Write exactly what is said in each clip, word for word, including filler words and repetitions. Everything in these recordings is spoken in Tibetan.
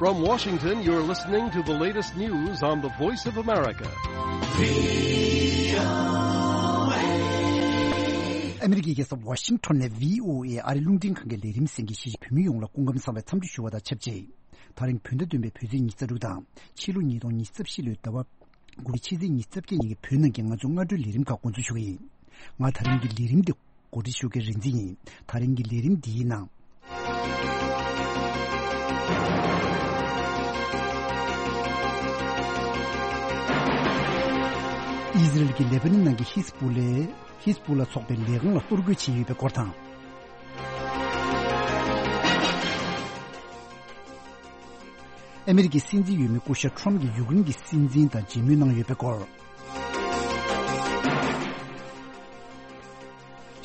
From Washington, you're listening to the latest news on the Voice of America. ཨ་མི་རི་ཀའི་རྒྱལ་ས་ཝ་ཤིང་ཊོན་ནས་བྷི་ཨོ་ཨེ་ཨ་རི་རླུང་འཕྲིན་ཁང་གི་ལས་རིམ་གསན་མཁན་གཞིས་བྱེས་བོད་མི་ཡོངས་ལ་སྐུ་ཁམས་བཟང་བའི་འཚམས་འདྲི་ཞུ་བ་དང་ཆབས་ཅིག་ད་རིང་བོད་ཟླ་བདུན་པའི་བོད་ཚེས་ཉི་ཤུ་རྩ་དྲུག་དང་ཕྱི་ལོ་ཉིས་སྟོང་ཉི་ཤུ་རྩ་བཞི་ལོའི་ཟླ་བ་དགུ་པའི་ཕྱི་ཚེས་ཉི་ཤུ་རྩ་བརྒྱད་ཉིན་གྱི་བོད་ནང་གི་ང་ཚོའི་སྔ་དྲོའི་ལས་རིམ་ཁག་འགོ་འཛུགས་ཞུ་གི་ཡིན། ང་ད་རིང་གི་ལས་རིམ་འདི་གོ་སྒྲིག་ཞུ་མཁན་རིག་འཛིན་ཡིན། ད་རིང་གི་ལས་རིམ་འདིའི་ནང་། ཨི་ཟི་རལ་གྱིས་ལེ་པ་ནན་ནང་གི་ཧིས་པུ་ལའི་ཧིས་པུ་ལ་ཚོགས་པའི་ལས་ཁང་ལ་གཏོར་རྒོལ་བྱས་ཡོད་པའི་སྐོར་དང་། ཨ་མི་རི་ཀའི་སྲིད་འཛིན་འོས་མི་སྐུ་ཞབས་ཁྲོམ་གྱིས་ཡུཀ་རེན་གྱི་སྲིད་འཛིན་དང་མཇལ་མོལ་གནང་ཡོད་པའི་སྐོར།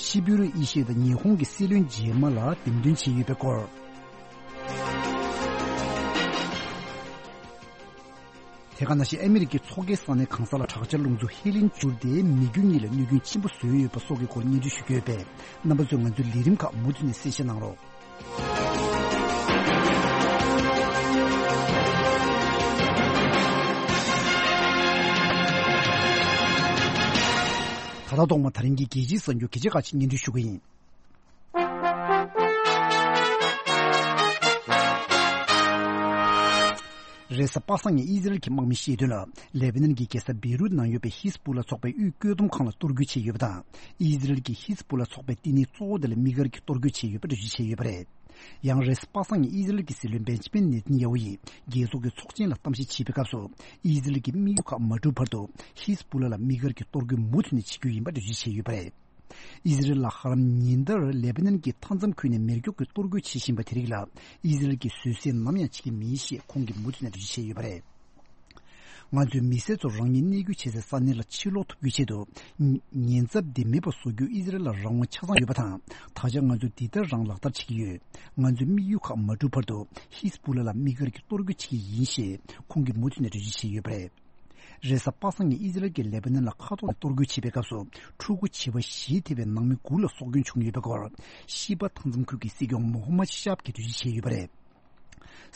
ཤི་བོ་རུ་ཨེ་ཤི་ཡ་དང་ཉི་ཧོང་གི་སྲིད་བློན་རྗེས་མ་ལ་འདེམས་ཐོན་བྱས་ཡོད་པའི་སྐོར། དེ་ག་ནང་བཞིན་ཨ་མི་རི་ཀའི་མཚོ་ཁའི་ས་གནས་གང་ས་ལ་དྲག་ཆར་རླུང་འཚུབ་ཧེ་ལིན་འཕྱུར་ཏེ་མི་རྒྱུ་གཉིས་ལ་གནོད་སྐྱོན་ཆེན་པོ་བཟོས་ཡོད་པ་སོགས་ཀྱི་སྐོར་སྙན་སྒྲོན་ཞུ་རྒྱུ་ཡོད་པས། རྣམ་པ་ཚོས་ང་ཚོའི་ལས་རིམ་ཁག་མུ་མཐུད་ནས་གསན་བཞེས་གནང་རོགས། ད་ལྟ་ཐོག་མར་ད་རིང་གི་རྒྱལ་སྤྱིའི་གསར་འགྱུར་གལ་ཆེ་ཁག་ཅིག་སྙན་སྒྲོན་ཞུ་གི་ཡིན། རེས་གཟའ་པ་སངས་ཉིན་ཨི་ཟི་རལ་གྱི་དམག་མིས་བཤད་དོན་ལ། ལེ་བྷ་ནན་གྱི་རྒྱལ་ས་བེ་རུད་ནང་ཡོད་པའི་ཧིས་པུ་ལ་ཚོགས་པའི་དབུས་བཀོད་འདོམས་ཁང་ལ་གཏོར་རྒོལ་བྱས་ཡོད་པ་དང་། ཨི་ཟི་རལ་གྱིས་ཧིས་པུ་ལ་ཚོགས་པའི་བསྟི་གནས་གཙོ་བོ་དེ་ལ་དམིགས་བཀར་གྱིས་གཏོར་རྒོལ་བྱས་ཡོད་པ་འགྲེལ་བརྗོད་བྱས་ཡོད་པ་རེད། ཡང་རེས་གཟའ་པ་སངས་ཉིན་ཨི་ཟི་རལ་གྱི་སྲིད་བློན་བེན་ཇི་མིན་ནེ་ཐན་ཡ་ཧུ་ཡིས་རྒྱལ་ཚོགས་ཀྱི་ཚོགས་ཆེན་ལ་གཏམ་བཤད་བྱེད་པའི་སྐབས་སུ། ཨི་ཟི་རལ་གྱི་དམིགས་ཡུལ་ཁག་མ་འགྲུབ་བར་དུ་ཧིས་པུ་ལ་ལ་དམིགས་བཀར་གྱིས་གཏོར་རྒོལ་མུ་མཐུད་ནས་བྱེད་རྒྱུ་ཡིན་པ་འགྲེལ་བརྗོད་བྱས་ཡོད་པ་རེད། ཨི་ཟི་རལ་ལ་ཧ་ལམ་ཉིན་ལྟར་ལེ་པ་ནན་གྱི་མཐའ་མཚམས་ཁུལ་ནས་མེ་སྒྱོགས་ཀྱིས་གཏོར་རྒོལ་བྱེད་བཞིན་པ་དེ་རིགས་ལ། ཨི་ཟི་རལ་གྱིས་བཟོད་བསྲན་ནམ་ཡང་བྱེད་ཀྱི་མིན་ཞེས་ཁོང་གིས་མུ་མཐུད་ནས་འགྲེལ་བརྗོད་བྱས་ཡོད་པ་རེད། ང་ཚོས་མི་སེར་ཚོ་རང་ཉིད་གནས་སྐྱོད་བྱེད་སའི་ས་གནས་ལ་ཕྱིར་ལོག་ཐུབ་རྒྱུའི་ཆེད་དུ། ཉེན་ཚབས་འདི་མེད་པར་བཟོ་རྒྱུ་ཨི་ཟི་རལ་ལ་རང་དབང་ཆ་ཚང་ཡོད་པ་དང་། ད་ཆ་ང་ཚོས་འདི་ལྟར་རང་ལག་བསྟར་བྱེད་ཀྱི་ཡོད། ང་ཚོའི་དམིགས་ཡུལ་ཁག་མ་འགྲུབ་བར་དུ་ཧིས་པུ་ལ་ལ་དམིགས་བཀར་གྱིས་གཏོར་རྒོལ་བྱེད་ཀྱི་ཡིན་ཞེས་ཁོང་གིས་མུ་མཐུད་ནས་འགྲེལ་བརྗོད་བྱས་ཡོད་པ་རེད། རེས་གཟའ་པ་སངས་ཉིན་ཨི་ཟི་རལ་གྱིས་ལེ་པ་ནན་ལ་མཁའ་ཐོག་ནས་གཏོར་རྒོལ་བྱེད་པའི་སྐབས་སུ། ཕྲུ་གུ་བྱིས་པ་བཞི་ཐེ་བའི་ནང་མི་དགུ་ལ་སྲོག་སྐྱོན་བྱུང་ཡོད་པའི་སྐོར། ཤི་པ་མཐའ་མཚམས་ཁུལ་གྱི་སྲིད་སྐྱོང་མོ་ཧོ་མ་ཤཱབ་ཀྱིས་འགྲེལ་བརྗོད་བྱས་ཡོད་པ་རེད།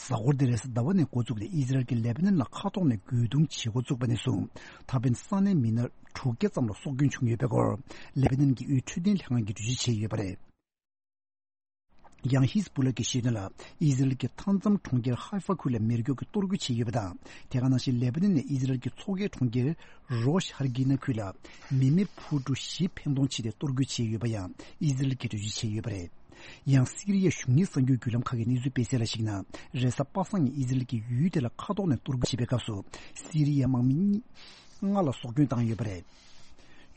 གཟའ་འཁོར་འདི་རེས་གཟའ་ཟླ་བ་ནས་འགོ་བཙུགས་ཏེ་ཨི་ཟི་རལ་གྱིས་ལེ་པ་ནན་ལ་མཁའ་ཐོག་ནས་རྒོལ་རྡུང་བྱེད་འགོ་བཙུགས་པ་ནས་བཟུང་། ད་ཕན་ས་གནས་མི་སྣ་དྲུག་བརྒྱ་ཙམ་ལ་སྲོག་སྐྱོན་བྱུང་ཡོད་པའི་སྐོར། ལེ་པ་ནན་གྱི་དབུས་འཕྲོད་བསྟེན་ལྷན་ཁང་གིས་འགྲེལ་བརྗོད་བྱས་ཡོད་པ་རེད། ཡང་ཧིས་པུ་ལ་གིས་བཤད་དོན་ལ། ཨི་ཟི་རལ་གྱི་མཐའ་མཚམས་གྲོང་ཁྱེར་ཧའི་ཧྥ་ཁུལ་ལ་མེ་སྒྱོགས་ཀྱིས་གཏོར་རྒོལ་བྱས་ཡོད་པ་དང་། དེ་ག་ནང་བཞིན་ལེ་པ་ནན་ནས་ཨི་ཟི་རལ་གྱི་མཚོ་ཁའི་གྲོང་ཁྱེར་རོ་ཤ་ཧར་གི་ན་ཁུལ་ལ་མི་མེད་འཕུར་གྲུ་བཞི་འཕེན་གཏོང་བྱས་ཏེ་གཏོར་རྒོལ་བྱས་ཡོད་པ་ཡང་ཨི་ཟི་རལ་གྱིས་འགྲེལ་བརྗོད་བྱས་ཡོད་པ་རེད། ཡང་སི་རི་ཡའི་གཞུང་གཉེར་གསར་འགྱུར་བརྒྱུད་ལམ་ཁག་གིས་གནས་ཚུལ་སྤེལ་གསལ་ལ་གཞིགས་ན། རེས་གཟའ་པ་སངས་ཉིན་ཨི་ཟི་རལ་གྱིས་ཡུལ་དེ་ལ་མཁའ་ཐོག་ནས་གཏོར་རྒོལ་བྱས་པའི་སྐབས་སུ། སི་རི་ཡའི་དམག་མི་གཉིས། ལྔ་ལ་སྲོག་སྐྱོན་བཏང་ཡོད་པ་རེད།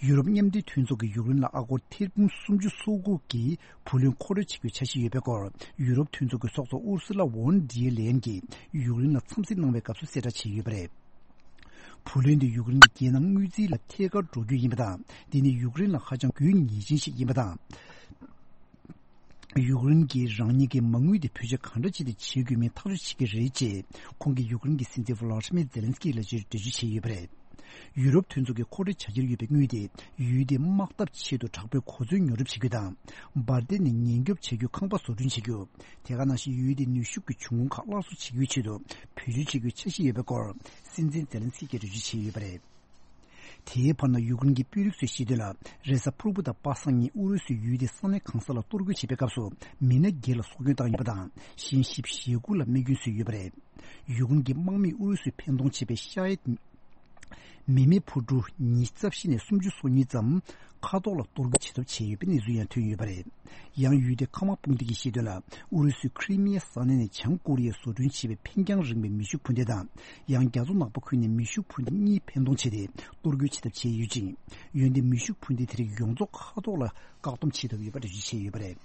ཡུ་རོབ་མཉམ་འབྲེལ་མཐུན་ཚོགས་ཀྱིས་ཡུཀ་རེན་ལ་ཨ་སྒོར་ཐེར་འབུམ་སུམ་ཅུ་སོ་དགུ་གི་བུ་ལོན་མཁོ་སྤྲོད་བྱེད་རྒྱུའི་འཆར་གཞི་ཡོད་པའི་སྐོར། ཡུ་རོབ་མཐུན་ཚོགས་ཀྱི་ཚོགས་གཙོ་ཨུར་སུ་ལ་ཝོན་ཌི་ལེ་ཡན་གྱིས་ཡུཀ་རེན་ལ་འཚམས་གཟིགས་གནང་བའི་སྐབས་སུ་གསལ་བསྒྲགས་བྱས་ཡོད་པ་རེད། བུ་ལོན་དེ་ཡུཀ་རེན་གྱི་རྒྱལ་ནང་དངུལ་རྩིས་ལ་ཐད་ཀར་འགྲོ་རྒྱུ་ཡིན་པ་དང་། འདི་ནི་ཡུཀ་རེན་ལ་ཧ་ཅང་དགོས་ངེས་ཅན་ཞིག་ཡིན་པ་དང་། ཡུཀ་རེན་གྱིས་རང་ཉིད་ཀྱི་མ་དངུལ་དེ་བེད་སྤྱོད་གང་འདྲ་བྱས་ཏེ་བྱེད་དགོས་མིན་ཐག་གཅོད་བྱེད་ཀྱི་རེད་ཅེས་ཁོང་གིས་ཡུཀ་རེན་གྱི་སྲིད་འཛིན་ཝ་ལ་ཏི་མིར་ཛེ་ལན་སི་ཀི་ལ་འགྲེལ་བརྗོད་བྱས་ཡོད་པ་རེད། ཡུ་རོབ་མཐུན་ཚོགས་ཀྱིས་མཁོ་སྤྲོད་བྱ་འཆར་ཡོད་པའི་དངུལ་དེ་ཡུལ་དེའི་དམག་འཐབ་ཆེད་དུ་དྲག་པོའི་གོ་མཚོན་ཉོ་སྒྲུབ་བྱེད་རྒྱུ་དང་། འབར་མདེལ་ནས་ཉེན་སྐྱོབ་བྱ་རྒྱུའི་ཁང་པ་བཟོ་སྐྲུན་བྱེད་རྒྱུ། དེ་ག་ནང་བཞིན་ཡུལ་དེའི་ནུས་ཤུགས་ཀྱི་འབྱུང་ཁུངས་ཁག་སླར་གསོ་བྱེད་རྒྱུའི་ཆེད་དུ་བེད་སྤྱོད་བྱེད་རྒྱུའི་འཆར་གཞི་ཡོད་པའི་སྐོར་སྲིད་འཛིན་ཛེ་ལན་སི་ཀིས་འགྲེལ་བརྗོད་བྱས་ཡོད་པ་རེད། དེའི་བར་ན་ཡུཀ་རེན་གྱི་དཔོན་རིགས་ཚོས་བཤད་དོན་ལ། རེས་གཟའ་ཕུར་བུ་དང་པ་སངས་ཉིན་ཨུ་རུ་སུས་ཡུལ་དེའི་ས་གནས་གང་ས་ལ་གཏོར་རྒོལ་བྱས་པའི་སྐབས་སུ་མི་སྣ་བརྒྱད་ལ་སྲོག་སྐྱོན་བཏང་ཡོད་པ་དང་། གཞན་བཞི་བཅུ་ཞེ་དགུ་ལ་རྨས་སྐྱོན་བཟོས་ཡོད་པ་རེད། ཡུཀ་རེན་གྱི་དམག་མིས་ཨུ་རུ་སུས་འཕེན་གཏོང་བྱས་པའི་ཤ་ཡེད་མི་མེད་འཕུར་གྲུ་ཉི་ཤུ་རྩ་བཞི་ནས་སུམ་ཅུ་སོ་གཉིས་ཙམ་མཁའ་ཐོག་ལ་གཏོར་རྒོལ་བྱེད་ཐབས་བྱས་ཡོད་པའི་གནས་ཚུལ་ཡང་ཐོན་ཡོད་པ་རེད། ཡང་ཡུལ་དེའི་མཁའ་དམག་དཔུང་སྡེ་གིས་བཤད་དོན་ལ། ཨུ་རུ་སུས་ཁྲི་མི་ཡའི་ས་གནས་ནས་བྱང་ཀོ་རི་ཡས་བཟོ་སྐྲུན་བྱས་པའི་འཕེན་རྐྱང་རིང་བའི་མེ་ཤུགས་འཕུར་མདེལ་དང་། ཡང་རྒྱ་མཚོ་ནག་པོ་ཁུལ་ནས་མེ་ཤུགས་འཕུར་མདེལ་གཉིས་འཕེན་གཏོང་བྱས་ཏེ་གཏོར་རྒོལ་བྱེད་ཐབས་བྱས་ཡོད་ཅིང་། འོན་ཏེ་མེ་ཤུགས་འཕུར་མདེལ་དེ་རིགས་ཡོངས་རྫོགས་མཁའ་ཐོག་ལ་བཀག་སྡོམ་བྱེད་ཐུབ་ཡོད་པ་འགྲེལ་བརྗོད་བྱས་ཡོད་པ་རེད།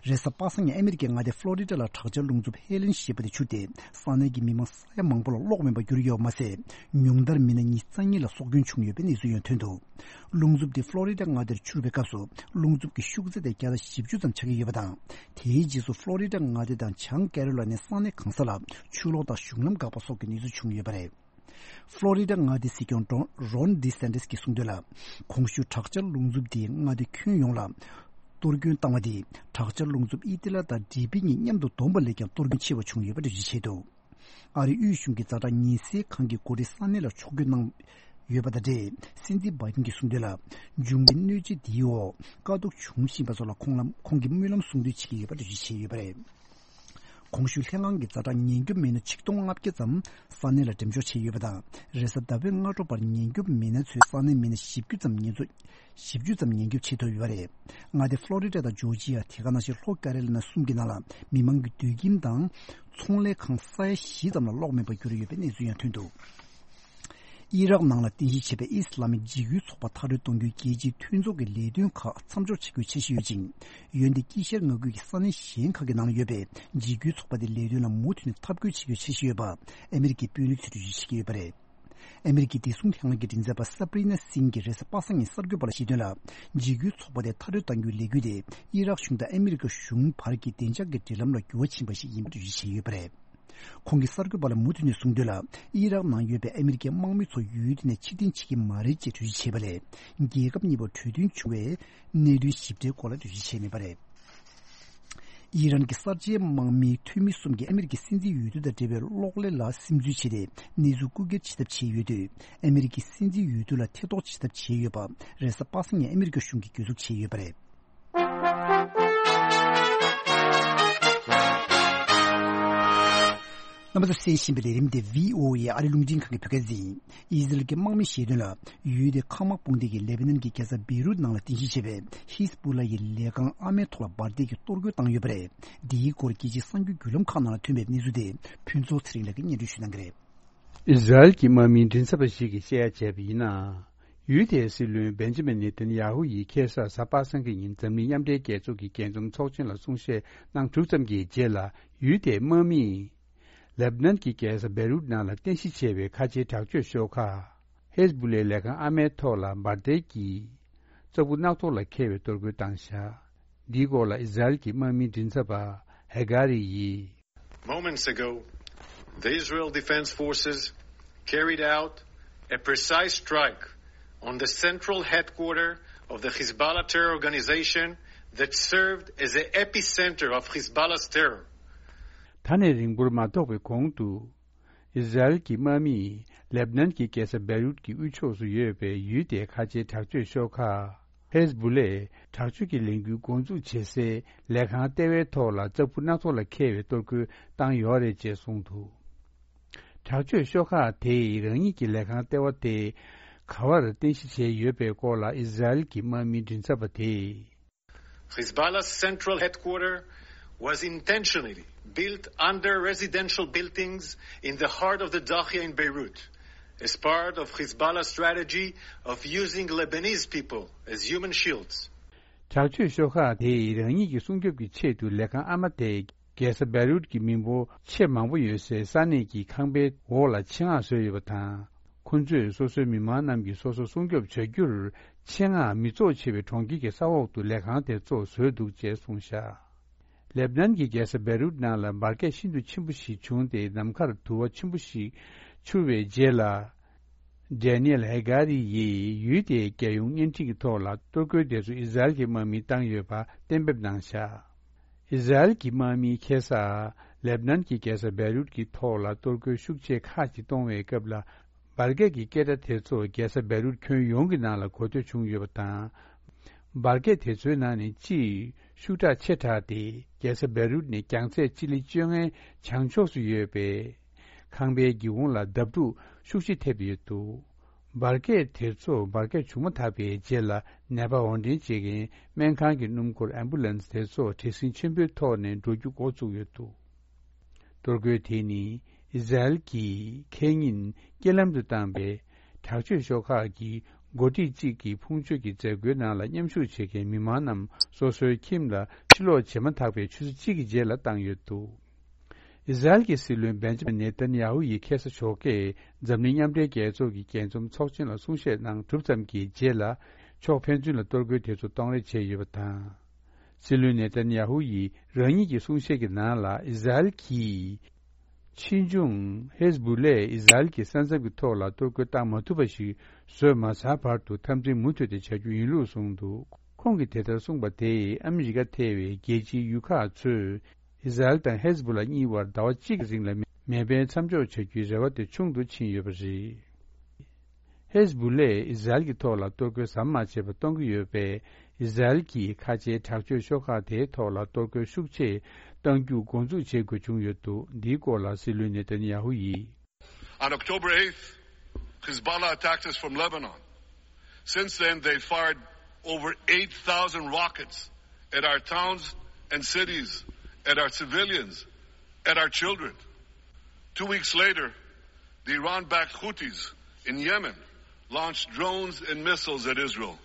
རེས་གཟའ་པ་སངས་ཉིན་ཨ་མི་རི་ཀའི་མངའ་སྡེ་ཕློ་རི་ཌ་ལ་དྲག་ཆར་རླུང་འཚུབ་ཧེ་ལིན་ཞེས་པ་དེ་འཕྱུར་ཏེ། ས་གནས་ཀྱི་མི་མང་ས་ཡ་མང་པོ་ལ་གློག་མེད་པར་གྱུར་ཡོད་པ་མ་ཟད། ཉུང་མཐར་མི་སྣ་ཉི་ཤུ་རྩ་གཉིས་ལ་སྲོག་སྐྱོན་བྱུང་ཡོད་པའི་གནས་ཚུལ་ཡང་ཐོན་འདུག་རླུང་འཚུབ་དེ་ཕློ་རི་ཌ་མངའ་སྡེར་འཕྱུར་བའི་སྐབས་སུ། རླུང་འཚུབ་ཀྱི་ཤུགས་ཚད་དེ་བརྒྱ་དང་བཞི་བཅུ་ཙམ་ཆགས་ཀྱི་ཡོད་པ་དང་། དེའི་རྗེས་སུ་ཕློ་རི་ཌ་མངའ་སྡེ་དང་བྱང་ཀེ་རོ་ལ་ནའི་ས་གནས་གང་ས་ལ་ཆུ་ལོག་དང་གཞུང་ལམ་འགག་པ་སོགས་ཀྱི་གནས་ཚུལ་བྱུང་ཡོད་པ་རེད། ཕློ་རི་ཌ་མངའ་སྡེའི་སྲིད་སྐྱོང་ཌོན་རོན་ཌི་སན་ཏིས་ཀྱིས་གསུངས་དོན་ལ། གོང་ཞུས་དྲག་ཆར་རླུང་འཚུབ་དེས་མངའ་སྡེ་ཁྱོན་ཡོངས་ལ་ གཏོར་སྐྱོན་བཏང་བ་དེ་དྲག་ཆར་རླུང་འཚུབ་ཨི་ཏི་ལ་དང་ཌི་པི་གཉིས་མཉམ་དུ་བསྡོམས་པ་ལས་ཀྱང་གཏོར་སྐྱོན་ཆེ་བ་བྱུང་ཡོད་པ་འགྲེལ་བརྗོད་བྱས་འདུག་ཨ་རིའི་དབུས་གཞུང་གི་ཛ་དྲག་ཉེན་སེལ་ཁང་གི་འགོ་ཁྲིད་ས་གནས་ལ་ཕྱོགས་བསྐྱོད་གནང་ཡོད་པ་དང་འབྲེལ། སྲིད་འཛིན་བྷའི་ཌེན་གྱིས་གསུངས་དོན་ལ། འབྱུང་བའི་གནོད་འཚེ་འདིའི་འོག་དཀའ་སྡུག་བྱུང་བཞིན་པ་ཚོ་ལ་ཁོང་ལ་ཁོང་གིས་སྨོན་ལམ་གསུང་འདོན་བྱེད་ཀྱི་ཡོད་པ་འགྲེལ་བརྗོད་བྱས་ཡོད་པ་རེད། གོང་ཞུས་ལྷན་ཁང་གི་ཛ་དྲག་ཉེན་སྐྱོབ་མི་སྣ་ཆིག་སྟོང་ལྔ་བརྒྱ་ཙམ་ས་གནས་ལ་འགྲེམས་འཇོག་བྱས་ཡོད་པ་དང་། རེས་གཟའ་ཟླ་བའི་སྔ་དྲོ་བར་ཉེན་སྐྱོབ་མི་སྣ་ཚོས་ས་གནས་མི་སྣ་བཞི་བཅུ་ཙམ་ཉེན་ཚོ་བཞི་བཅུ་ཙམ་ཉེན་སྐྱོབ་བྱེད་ཐུབ་ཡོད་པ་རེད། མངའ་སྡེ་ཕློ་རི་ཌ་དང་ཇོར་ཇི་ཡ། དེ་ག་ནང་བཞིན་ལྷོ་ཀ་རོ་ལི་ན་གསུམ་གྱི་ནང་ལ་མི་མང་གི་སྡོད་ཁྱིམ་དང་ཚོང་ལས་ཁང་ས་ཡ་བཞི་ཙམ་ལ་གློག་མེད་པར་གྱུར་ཡོད་པའི་གནས་ཚུལ་ཡང་ཐོན་འདུག་ཨི་རག་ནང་ལ་རྟེན་གཞི་བྱས་པའི་ཨི་སི་ལ་མི་འཇིགས་སྐུལ་ཚོགས་པ་མཐའ་འཁྱོངས་གཏོང་རྒྱུའི་རྒྱལ་སྤྱིའི་མཐུན་ཚོགས་ཀྱི་ལས་དོན་ཁག་མཚམས་འཇོག་བྱེད་དགོས་འཆར་གཞི་ཡོད་ཅིང་། འོན་ཏེ་དཀྱིལ་ཤར་མངའ་ཁུལ་གྱི་ས་གནས་གཞན་ཁག་གི་ནང་ལ་ཡོད་པའི་འཇིགས་སྐུལ་ཚོགས་པ་དེ་ལས་དོན་ལ་མུ་མཐུད་ནས་འཐབ་རྒོལ་བྱེད་དགོས་འཆར་གཞི་ཡོད་པ་ཨ་མི་རི་ཀའི་དཔོན་རིགས་ཚོས་འགྲེལ་བརྗོད་བྱེད་ཀྱི་ཡོད་པ་རེད། ཨ་མི་རི་ཀའི་བདེ་སྲུང་ལྷན་ཁང་གི་མགྲིན་ཚབ་པ་སབ་རི་ན་སིང་གིས་རེས་གཟའ་པ་སངས་ཉིན་གསར་འགོད་པ་ལ་བཤད་དོན་ལ། འཇིགས་སྐུལ་ཚོགས་པ་དེ་མཐའ་འཁྱོངས་གཏང་རྒྱུའི་ལས་འགུལ་དེ་ཨི་རག་གཞུང་དང་ཨ་མི་རི་ཀ་གཞུང་བར་གྱི་བདེ་འཇགས་ཀྱི་འབྲེལ་ལམ་ལ་འགྱུར་བ་ཕྱིན་པ་ཞིག་ཡིན་པ་འགྲེལ་བརྗོད་བྱས་ཡོད་པ་རེད། ཁོང་གིས་གསར་འགོད་པ་ལ་མུ་མཐུད་ནས་གསུངས་དོན་ལ། ཨི་རག་ནང་ཡོད་པའི་ཨ་མི་རི་ཀའི་དམག་མི་ཚོ་ཡུལ་དེ་ནས་ཕྱིར་འཐེན་བྱེད་ཀྱི་མ་རེད་ཅེས་འགྲེལ་བརྗོད་བྱས་པ་ལས། རྒྱལ་ཁབ་གཉིས་བར་གྲོས་མཐུན་བྱུང་བའི་གནད་དོན་ཞིབ་ཕྲའི་སྐོར་ལ་འགྲེལ་བརྗོད་བྱས་མེད་པ་རེད། ཨི་རན་གྱི་གསར་བརྗེའི་དམག་མིའི་འཐུས་མི་གསུམ་གྱིས་ཨ་མི་རི་ཀའི་སྲིད་འཛིན་འོས་བསྡུ་དང་འབྲེལ་བའི་གློག་ཀླད་ལ་སིམ་འཛུལ་བྱས་ཏེ། གནས་ཚུལ་རྐུ་འཁྱེར་བྱེད་ཐབས་བྱས་ཡོད་དུས། ཨ་མི་རི་ཀའི་སྲིད་འཛིན་འོས་བསྡུ་ལ་ཐེ་གཏོགས་བྱེད་ཐབས་བྱས་ཡོད་པ། རེས་གཟའ་པ་སངས་ཉིན་ཨ་མི་རི་ཀ་གཞུང་གིས་གྱོད་འཛུགས་བྱས་ཡོད་པ་རེད། རྣམ་པ་ཚོས་གསན་བཞིན་པའི་ལས་རིམ་དེ་བྷི་ཨོ་ཨེ་ཨ་རི་རླུང་འཕྲིན་ཁང་གི་བོད་སྐད་སྡེ་ཡིན། ཨི་ཟི་རལ་གྱི་དམག་མིས་བཤད་དོན་ལ། ཡུལ་དེའི་མཁའ་དམག་དཔུང་སྡེ་གིས་ལེ་བྷ་ནན་གྱི་རྒྱལ་ས་བེ་རུད་ནང་ལ་རྟེན་གཞི་བྱས་པའི་ཧིས་བུ་ལ་ཡི་ལས་ཁང་ཨ་མའི་ཐོག་ལ་འབར་མདེལ་གྱིས་གཏོར་རྒོལ་བཏང་ཡོད་པ་རེད། འདིའི་སྐོར་རྒྱལ་སྤྱིའི་གསར་འགྱུར་བརྒྱུད་ལམ་ཁག་ནང་ལ་ཐོན་པའི་གནས་ཚུལ་དེ་ཕུན་ཚོགས་ཚེ་རིང་ལགས་ཀྱིས་སྙན་སྒྲོན་ཞུ་གནང་གི་རེད། ཨི་ཟི་རལ་གྱི་དམག་མིའི་མགྲིན་ཚབ་པ་ཞིག་གིས་བཤད་ཡ་བྱས་པ་ཡིན་ན། ཡུལ་དེའི་སྲིད་བློན་བེན་ཇི་མིན་ནེ་ཐན་ཡ་ཧུ་ཡིས་ཁ་སང་གཟའ་པ་སངས་ཀྱི་ཉིན་འཛམ་གླིང་མཉམ་འབྲེལ་རྒྱལ་ཚོགས་ཀྱི་རྒྱས་འཛོམས་ཚོགས་ཆེན་ལ་གསུང་བཤད་གནང་གྲུབ་ཙམ་གྱི་རྗེས་ལ། ཡུལ་དེའི་དམག་མིས་ལེ་བྷ་ནན་གྱི་རྒྱལ་ས་བེ་རུད་ནང་ལ་རྟེན་གཞི་བྱས་པའི་ཁ་ཆེའི་དྲག་སྤྱོད་ཤོག་ཁག་ཧེས་བུ་ལའི་ལས་ཁང་ཨ་མའི་ཐོག་ལ་འབར་མདེལ་གྱིས་ཙག་བུ་རྣག་ཐོག་ལ་འཁེལ་བའི་གཏོར་རྒོལ་བཏང་བཞག་འདིའི་སྐོར་ལ་ཨི་ཟི་རལ་གྱི་དམག་མིའི་མགྲིན་ཚབ་པ་ཧེ་གྷ་རི་ཡིས། Moments ago, the Israel Defense Forces carried out a precise strike on the central headquarters of the Hezbollah terror organization that served as the epicenter of Hezbollah's terror. ད་ནས་རིང་པོར་མ་ཐོགས་པའི་གོང་དུ། ཨི་ཟི་རལ་གྱི་དམག་མིས་ལེ་བྷ་ནན་གྱི་རྒྱལ་ས་བེ་རུད་ཀྱི་དབུས་ཕྱོགས་སུ་ཡོད་པའི་ཡུལ་དེའི་ཁ་ཆེའི་དྲག་སྤྱོད་ཤོག་ཁག་ཧེས་བུ་ལས་དྲག་སྤྱོད་ཀྱི་ལས་འགུལ་འགོ་འཛུགས་བྱེད་སའི་ལས་ཁང་ལྟེ་བའི་ཐོག་ལ་ཙག་བུ་རྣག་ཐོག་ལ་འཁེལ་བའི་གཏོར་རྒོལ་བཏང་ཡོད་རེད་ཅེས་གསུངས་འདུག་དྲག་སྤྱོད་ཤོག་ཁག་དེས་རང་ཉིད་ཀྱི་ལས་ཁང་ལྟེ་བ་དེ་ག་བར་རྟེན་གཞི་བྱས་ཡོད་པའི་སྐོར་ལ་ཨི་ཟི་རལ་གྱི་དམག་མིའི་མགྲིན་ཚབ་པ་དེས། Hezbollah's central headquarters was intentionally built under residential buildings in the heart of the Dahiyeh in Beirut, as part of Hezbollah's strategy of using Lebanese people as human shields. དྲག་སྤྱོད་ཤོག་ཁག་དེས་རང་ཉིད་ཀྱི་སྲུང་སྐྱོབ་ཀྱི་ཆེད་དུ་ལས་ཁང་ཨ་མ་དེ་རྒྱལ་ས་བེ་རུད་ཀྱི་མི་འབོར་ཆེས་མང་པོ་ཡོད་སའི་ས་གནས་ཀྱི་ཁང་པའི་འོག་ལ་ཆེད་མངགས་བཟོས་ཡོད་པ་དང་། ཁོ་ཚོས་སོ་སོའི་མི་མང་རྣམས་ཀྱིས་སོ་སོ་སྲུང་སྐྱོབ་བྱ་རྒྱུར་ཆེད་མངགས་མི་ཚོགས་ཆེ་བའི་གྲོང་ཁྱེར་གྱི་ས་འོག་ཏུ་ལས་ཁང་དེ་ཚོ་བཟོས་འདུག་ཅེས་གསུངས་བཞག་ལེ་བྷ་ནན་གྱི་རྒྱལ་ས་བེ་རུད་ནང་ལ་འབར་གས་ཤིན་ཏུ་ཆེན་པོ་ཞིག་བྱུང་སྟེ་ནམ་མཁར་དུ་བ་ཆེན་པོ་ཞིག་འཕྱུར་བའི་རྗེས་ལ། ཌེ་ནི་ཨེལ་ཧེ་གྷ་རི་ཡིས་ཡུལ་དེའི་རྒྱལ་ཡོངས་བརྙན་འཕྲིན་གྱི་ཐོག་ལ་གཏོར་རྒོལ་དེ་ཚོ་ཨི་ཟི་རལ་གྱི་དམག་མིས་བཏང་ཡོད་པ་གཏན་འབེབས་གནང་བཞག་ཨི་ཟི་རལ་གྱི་དམག་མིས་ཁ་སང་ལེ་བྷ་ནན་གྱི་རྒྱལ་ས་བེ་རུད་ཀྱི་ཐོག་ལ་གཏོར་རྒོལ་ཤུགས་ཆེ་ཁག་ཅིག་གཏོང་བའི་སྐབས་ལ། འབར་གས་ཀྱི་སྐད་སྒྲ་དེ་ཚོ་རྒྱལ་ས་བེ་རུད་ཁྱོན་ཡོངས་ཀྱི་ནང་ལ་གོ་ཐོས་བྱུང་ཡོད་པ་དང་། འབར་གས་དེ་ཚོའི་ནང་ནས་གཅིག་ཤུགས་དྲག་ཆེ་དྲགས་ཏེ་རྒྱལ་ས་བེ་རུད་ནས་རྒྱང་ཚད་སྤྱི་ལེ་བཅོ་ལྔའི་བྱང་ཕྱོགས་སུ་ཡོད་པའི་ཁང་པའི་སྒེའུ་ཁུང་ལ་བརྡབ་འཁྲུག་ཤུགས་ཆེ་ཐེབས་ཡོད་འདུག་འབར་གས་དེ་ཚོ་འབར་གས་བྱུང་མ་ཐག་པའི་རྗེས་ལ་ནད་པ་འོར་འདྲེན་བྱེད་མཁན་སྨན་ཁང་གི་སྣུམ་འཁོར་ཨེམ་བུ་ལན་སི་དེ་ཚོ་བྲེལ་ཟིང་ཆེན་པོའི་ཐོག་ནས་འགྲོ་རྒྱུ་འགོ་བཙུགས་ཡོད་འདུག་གཏོར་རྒོལ་དེ་ནི་ཨི་ཟི་རལ་གྱིས་ཁེ་ཉིན་རྐྱེན་ལམ་དུ་བཏང་པའི་དྲག་སྤྱོད་ཤོག་ཁག་གི་འགོ་ཁྲིད་ཅིག་གི་ཕུང་མཆོད་ཀྱི་མཛད་སྒོའི་ནང་ལ་མཉམ་ཞུགས་བྱེད་མཁན་མི་མང་རྣམས་སོ་སོའི་ཁྱིམ་ལ་ཕྱིར་ལོག་བྱེད་མ་ཐག་པའི་ཆུ་ཚོད་གཅིག་གི་རྗེས་ལ་བཏང་ཡོད་འདུག་ཨི་ཟི་རལ་གྱི་སྲིད་བློན་བེན་ཇི་མིན་ནེ་ཐན་ཡ་ཧུ་ཡིས་ཁ་སང་ཞོགས་ཀས་འཛམ་གླིང་མཉམ་འབྲེལ་རྒྱལ་ཚོགས་ཀྱི་རྒྱས་འཛོམས་ཚོགས་ཆེན་ལ་གསུང་བཤད་གནང་གྲུབ་ཙམ་གྱི་རྗེས་ལ་ཕྱོགས་ཕན་ཚུན་ལ་གཏོར་རྒོལ་དེ་ཚོ་གཏོང་རེས་བྱས་ཡོད་པ་དང་། སྲིད་བློན་ནེ་ཐན་ཡ་ཧུ་ཡིས་རང་ཉིད་ཀྱི་གསུང་བཤད་ཀྱི་ནང་ལ་ཨི་ཟི་རལ་གྱིས་ཕྱིས་འབྱུང་ཧེ་ཟི་བུ་ལས་ཨི་ཟི་རལ་གྱི་ས་མཚམས་ཀྱི་ཐོག་ལ་གཏོར་རྒོལ་བཏང་མ་ཐུབ་པ་ཞིག་བཟོས་མ་ཚར་བར་དུ་འཐབ་འཛིང་མུ་མཐུད་དེ་བྱ་རྒྱུ་ཡིན་ལུགས་གསུངས་འདུག་ཁོང་གིས་དེ་ལྟར་གསུངས་པ་དེས་ཨ་མི་རི་ཀ་ཐེ་བའི་རྒྱལ་སྤྱིའི་ཡུལ་ཁག་ཚོས་ཨི་ཟ་རེལ་དང་ཧེ་ཟ་བུ་ལ་གཉིས་བར་ཟླ་བ་གཅིག་རིང་ལ་མེ་འཕེན་མཚམས་འཇོག་བྱ་རྒྱུའི་རེ་བ་དེ་ཆུང་དུ་ཕྱིན་ཡོད་པ་རེད། ཧེ་ཟ་བུ་ལས་ཨི་ཟ་རེལ་གྱི་ཐོག་ལ་གཏོར་རྒོལ་ཟམ་མ་ཆད་པར་གཏོང་གི་ཡོད་པས། ཨི་ཟ་རེལ་གྱིས་ཁ་ཆེའི་དྲག་སྤྱོད་ཤོག་ཁག་དེའི་ཐོག་ལ་གཏོར་རྒོལ་ཤུགས་ཆེ་གཏང་རྒྱུ་འགོ་འཛུགས་བྱེད་དགོས་བྱུང་ཡོད་འདུག་འདིའི་སྐོར་ལ་སྲིད་བློན་ནེ་ཐན་ཡ་ཧུ་ཡིས། On October eighth, Hezbollah attacked us from Lebanon. Since then, they fired over eight thousand rockets at our towns and cities, at our civilians, at our children. Two weeks later, the Iran-backed Houthis in Yemen launched drones and missiles at Israel,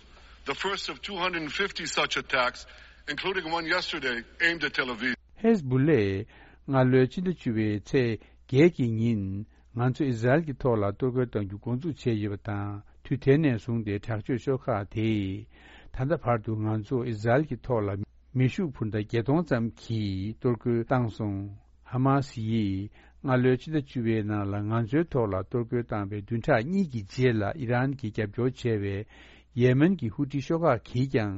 the first of two hundred fifty such attacks, including one yesterday aimed at Tel Aviv. ཧེ་ཟ་བུ་ལས་སྔ་ལོའི་ཕྱི་ཟླ་བཅུ་པའི་ཚེས་བརྒྱད་ཀྱི་ཉིན། ང་ཚོ་ཨི་ཟ་རེལ་གྱི་ཐོག་ལ་གཏོར་རྒོལ་གཏང་རྒྱུ་འགོ་འཛུགས་བྱས་ཡོད་པ་དང་། དུས་དེ་ནས་བཟུང་སྟེ་དྲག་སྤྱོད་ཤོག་ཁག་དེས་ད་ལྟ་བར་དུ་ང་ཚོ་ཨི་ཟ་རེལ་གྱི་ཐོག་ལ་མེ་ཤུགས་འཕུར་མདའ་བརྒྱད་སྟོང་ཙམ་གྱིས་གཏོར་རྒོལ་བཏང་སོང་། ཧ་མ་སི་ཡིས་སྔ་ལོའི་ཕྱི་ཟླ་བཅུ་པའི་ནང་ལ་ང་ཚོའི་ཐོག་ལ་གཏོར་རྒོལ་བཏང་བའི་བདུན་ཕྲག་གཉིས་ཀྱི་རྗེས་ལ། ཨི་རན་གྱིས་རྒྱབ་སྐྱོར་བྱས་པའི་ཡེ་མེན་གྱི་ཧུ་ཏི་ཤོག་ཁག་གིས་ཀྱང་